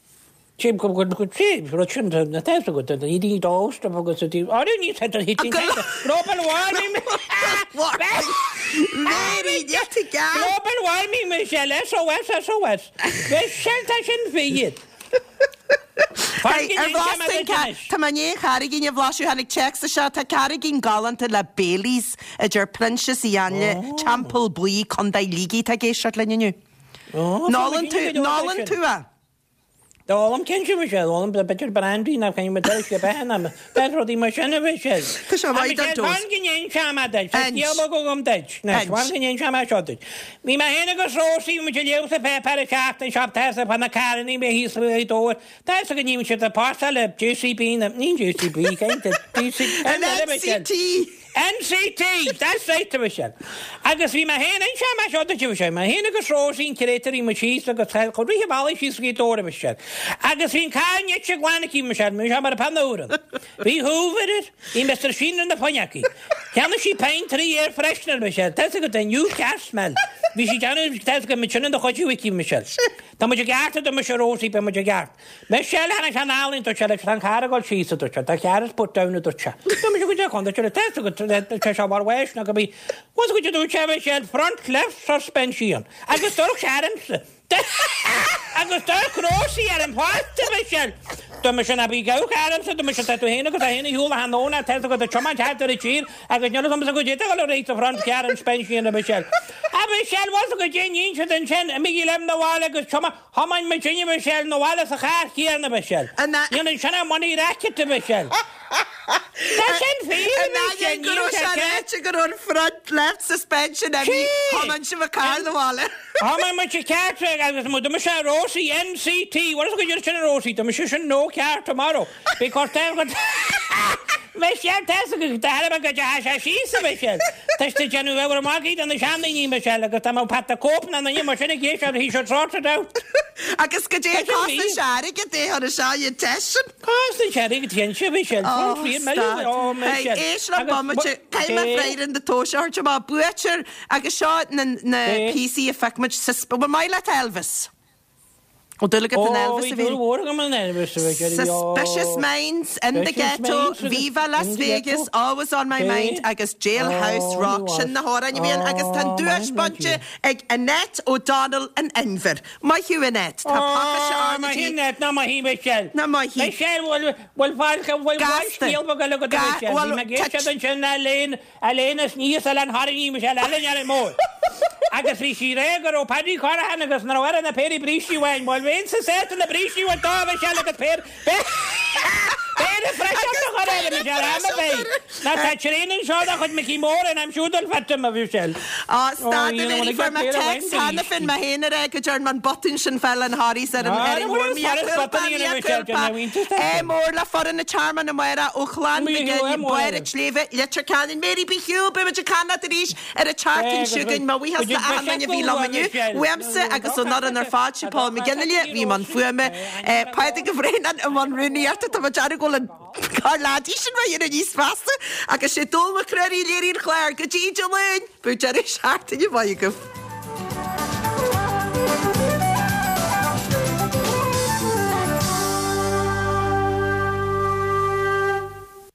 Sé go go go sé rud sin na test go den heating dós agus a Á ní central heating. Global warming. Mary, yet again. Global warming, Michelle, SOS, SOS. Michelle, tá sin fi Hey, ar bhlasta Tá mé i ndiaidh an charraigín a bhlaiseadh tháinig téacs isteach tá carraigín galánta le Baileys a deir Proinsias Uí Ainle, Teampall Buí, Contae Shligigh atá ag éisteacht linn inniu. N-ólann tú, n-ólann tú é? D'ólaim cinnte Michelle, d'ólaim b'fhéidir brandy nach cén mar deir sé beatha ná deir rudaí mar sin a Mhichelle. Tá sé maith don dós. Fan go n-inseoidh mé duit, tá scéal beag agam duit. Anois, fan go n-inseoidh mé seo duit. Bhí mé féin agus Róisín, muid ag léamh sa pháipéar an tseachtain seo, tá fhios fá na carrannaí a bhí thíos i Dobhair. Tá fhios go ndéanann siad páirceáil le JCB, na, ní JCB, cén t-, DC, An NCT! NCT! That's right, a Mhichelle. Agus bhí mé féin, inseoidh mé seo duit, a Mhichelle, mé féin agus Róisín Créatúr, bhí muid síos agus chomh rith an bhealaigh síos go Gaoth Dobhair, a Mhichelle. Agus bhí an carr nite glan aici, a Mhichelle, bhí sé mar a pan úr. Bhí Hoover air, bhí Mister Sheen ar na fuinneogaí. Cheannaigh sí peint trí air freshener, a Mhichelle, tá fhios agat, a new car smell. Bhí sí déanamh, tá fhios agat, muid sin in do chuid aici, a Mhichelle. Tá muid i gceart, a dúirt mise, Róisín, beidh muid i gceart. Michelle, tháinig sé anall, dúirt sé leis, tá an carr ag dul síos, a dúirt sé, the car is put down, a dúirt sé. Dúirt mise, goidé chun, dúirt sé, tá fhios agat, tá sé mar bheis nó go bí, bhfuil fhios agat, a dúirt sé, Michelle, front left suspension. Agus dúirt sé ormsa, agus dúirt Róisín orm fosta, Michelle. Dúirt mise, ná bí ag amharc ormsa, dúirt mise, tá tú féin agus tá féin a shiúl a thráthnóna, tá fhios agat, ag tiomáint thart ar an tír, agus níl fhios agamsa goidé tá ag dul ar aghaidh sa front car suspension, a Michelle. A Michelle, bhfuil fhios agat goidé a dhein siad ansin, imígí liom 'na bhaile agus tiomáin, Thiomáin muid a Mhichelle 'na bhaile sa charr chéanna, a Mhichelle. Níl ansin ach money racket, a Mhichelle. Tá sin fíor, a Mhichelle, An go raibh níl sé sé ceart. ráite go raibh an front left suspension imithe, thiomáin sibh an carr 'na bhaile. Thiomáin muid an ceart agus mu dúirt mise Rosie NCT, what is it sin a Rosie? Dúirt mise sin no car tomorrow because they're got Michelle, tá fhios agat go dtarla go dteachaigh sé síos, a Mhichelle. Tá sé ag déanamh abhar magaidh do na seandaoine, Michelle, agus tá mo Pat Cope na ndaoine mar sin ag éisteacht, he should sort it out. Agus goidé Tá sin costas fíor. airgead é chun seo an teist sin? Costas airgead cinnte, Michelle, Oh, front three million, stad. oh, Hey, Michelle. éist le Agus bomaite, caithfidh mé Cé? freagra na tomhais a thabhairt amach buaiteoir agus seo na na Cé? píosaí a phioc muid sus- Bhfuil maith leat Elvis? Ó dúil agat in Ó, Elvis bhí a bhí? dúil mhór agam in Elvis, a Mhichelle, Suspicious Minds, In the Suspicious Ghetto, Minds agus Viva Las In the Vegas, Ghetto. Always on My Cé? Mind agus Jailhouse Oh, Rock. he Sin na was. hamhráin a bhí ann agus tá an Oh, duais my bainte ag Annette O'Donnell in Inbhir. Maith thú Annette, tá pacáiste Oh, arna maith dí. Annette, ná maith í, Michelle. Ná maith í. Michelle, bhfuil bhfuil fáil bhfuil Gasta. scéal beag eile agat, Ga- Michelle. bhfuil- Bhí mé ag éisteacht ansin Elaine, Elaine is níos Elaine Harry, Michelle, Elaine Elaine Mór. Agus bhí sí ré go raibh Paddy Corrihan agus na raibh na péirí brístí uainn, bhfuil bhíonn sa set na brístí uainn dá Michelle agus péir péire freisin a chur air, Michelle, am a bheith. Ná tá tréan anseo de chuid Mickey Moore and I'm sure they'll fit him, a Michelle. Á, stad Oh, a you know, bhí when I fuair get mé péire text amháin cheana féin mé féin a rá go dtearn an botún sin fáil an Harrys ar an Ah, ar an no, well, mhór it's mea botún culpa, in mea a Michelle, culpa. Jenny, we just É mór le foireann an Tearmann amárach ó Chlann Mí Mhic é mór. Baile an tSléibhe, Leitir Ceanainn, Mary bí shiúil beimid ag caint leat arís ar an tseachtain É, seo chugainn mo bhuíochas Go le achan duine a bhí liom inniu. Uaimse agus ón fhoireann ar fad sé Paul McGinley bhí mbun fuaime. Pádraig Ó Braonáin i mbun rúnaíochta tá muid dearg go bhfuil an car leadaí sin rá ar níos feasta agus sé Dónall Mac Ruairí a léirigh an clár go dtí Dé Luain, bíodh deireadh seachtaine maith agaibh.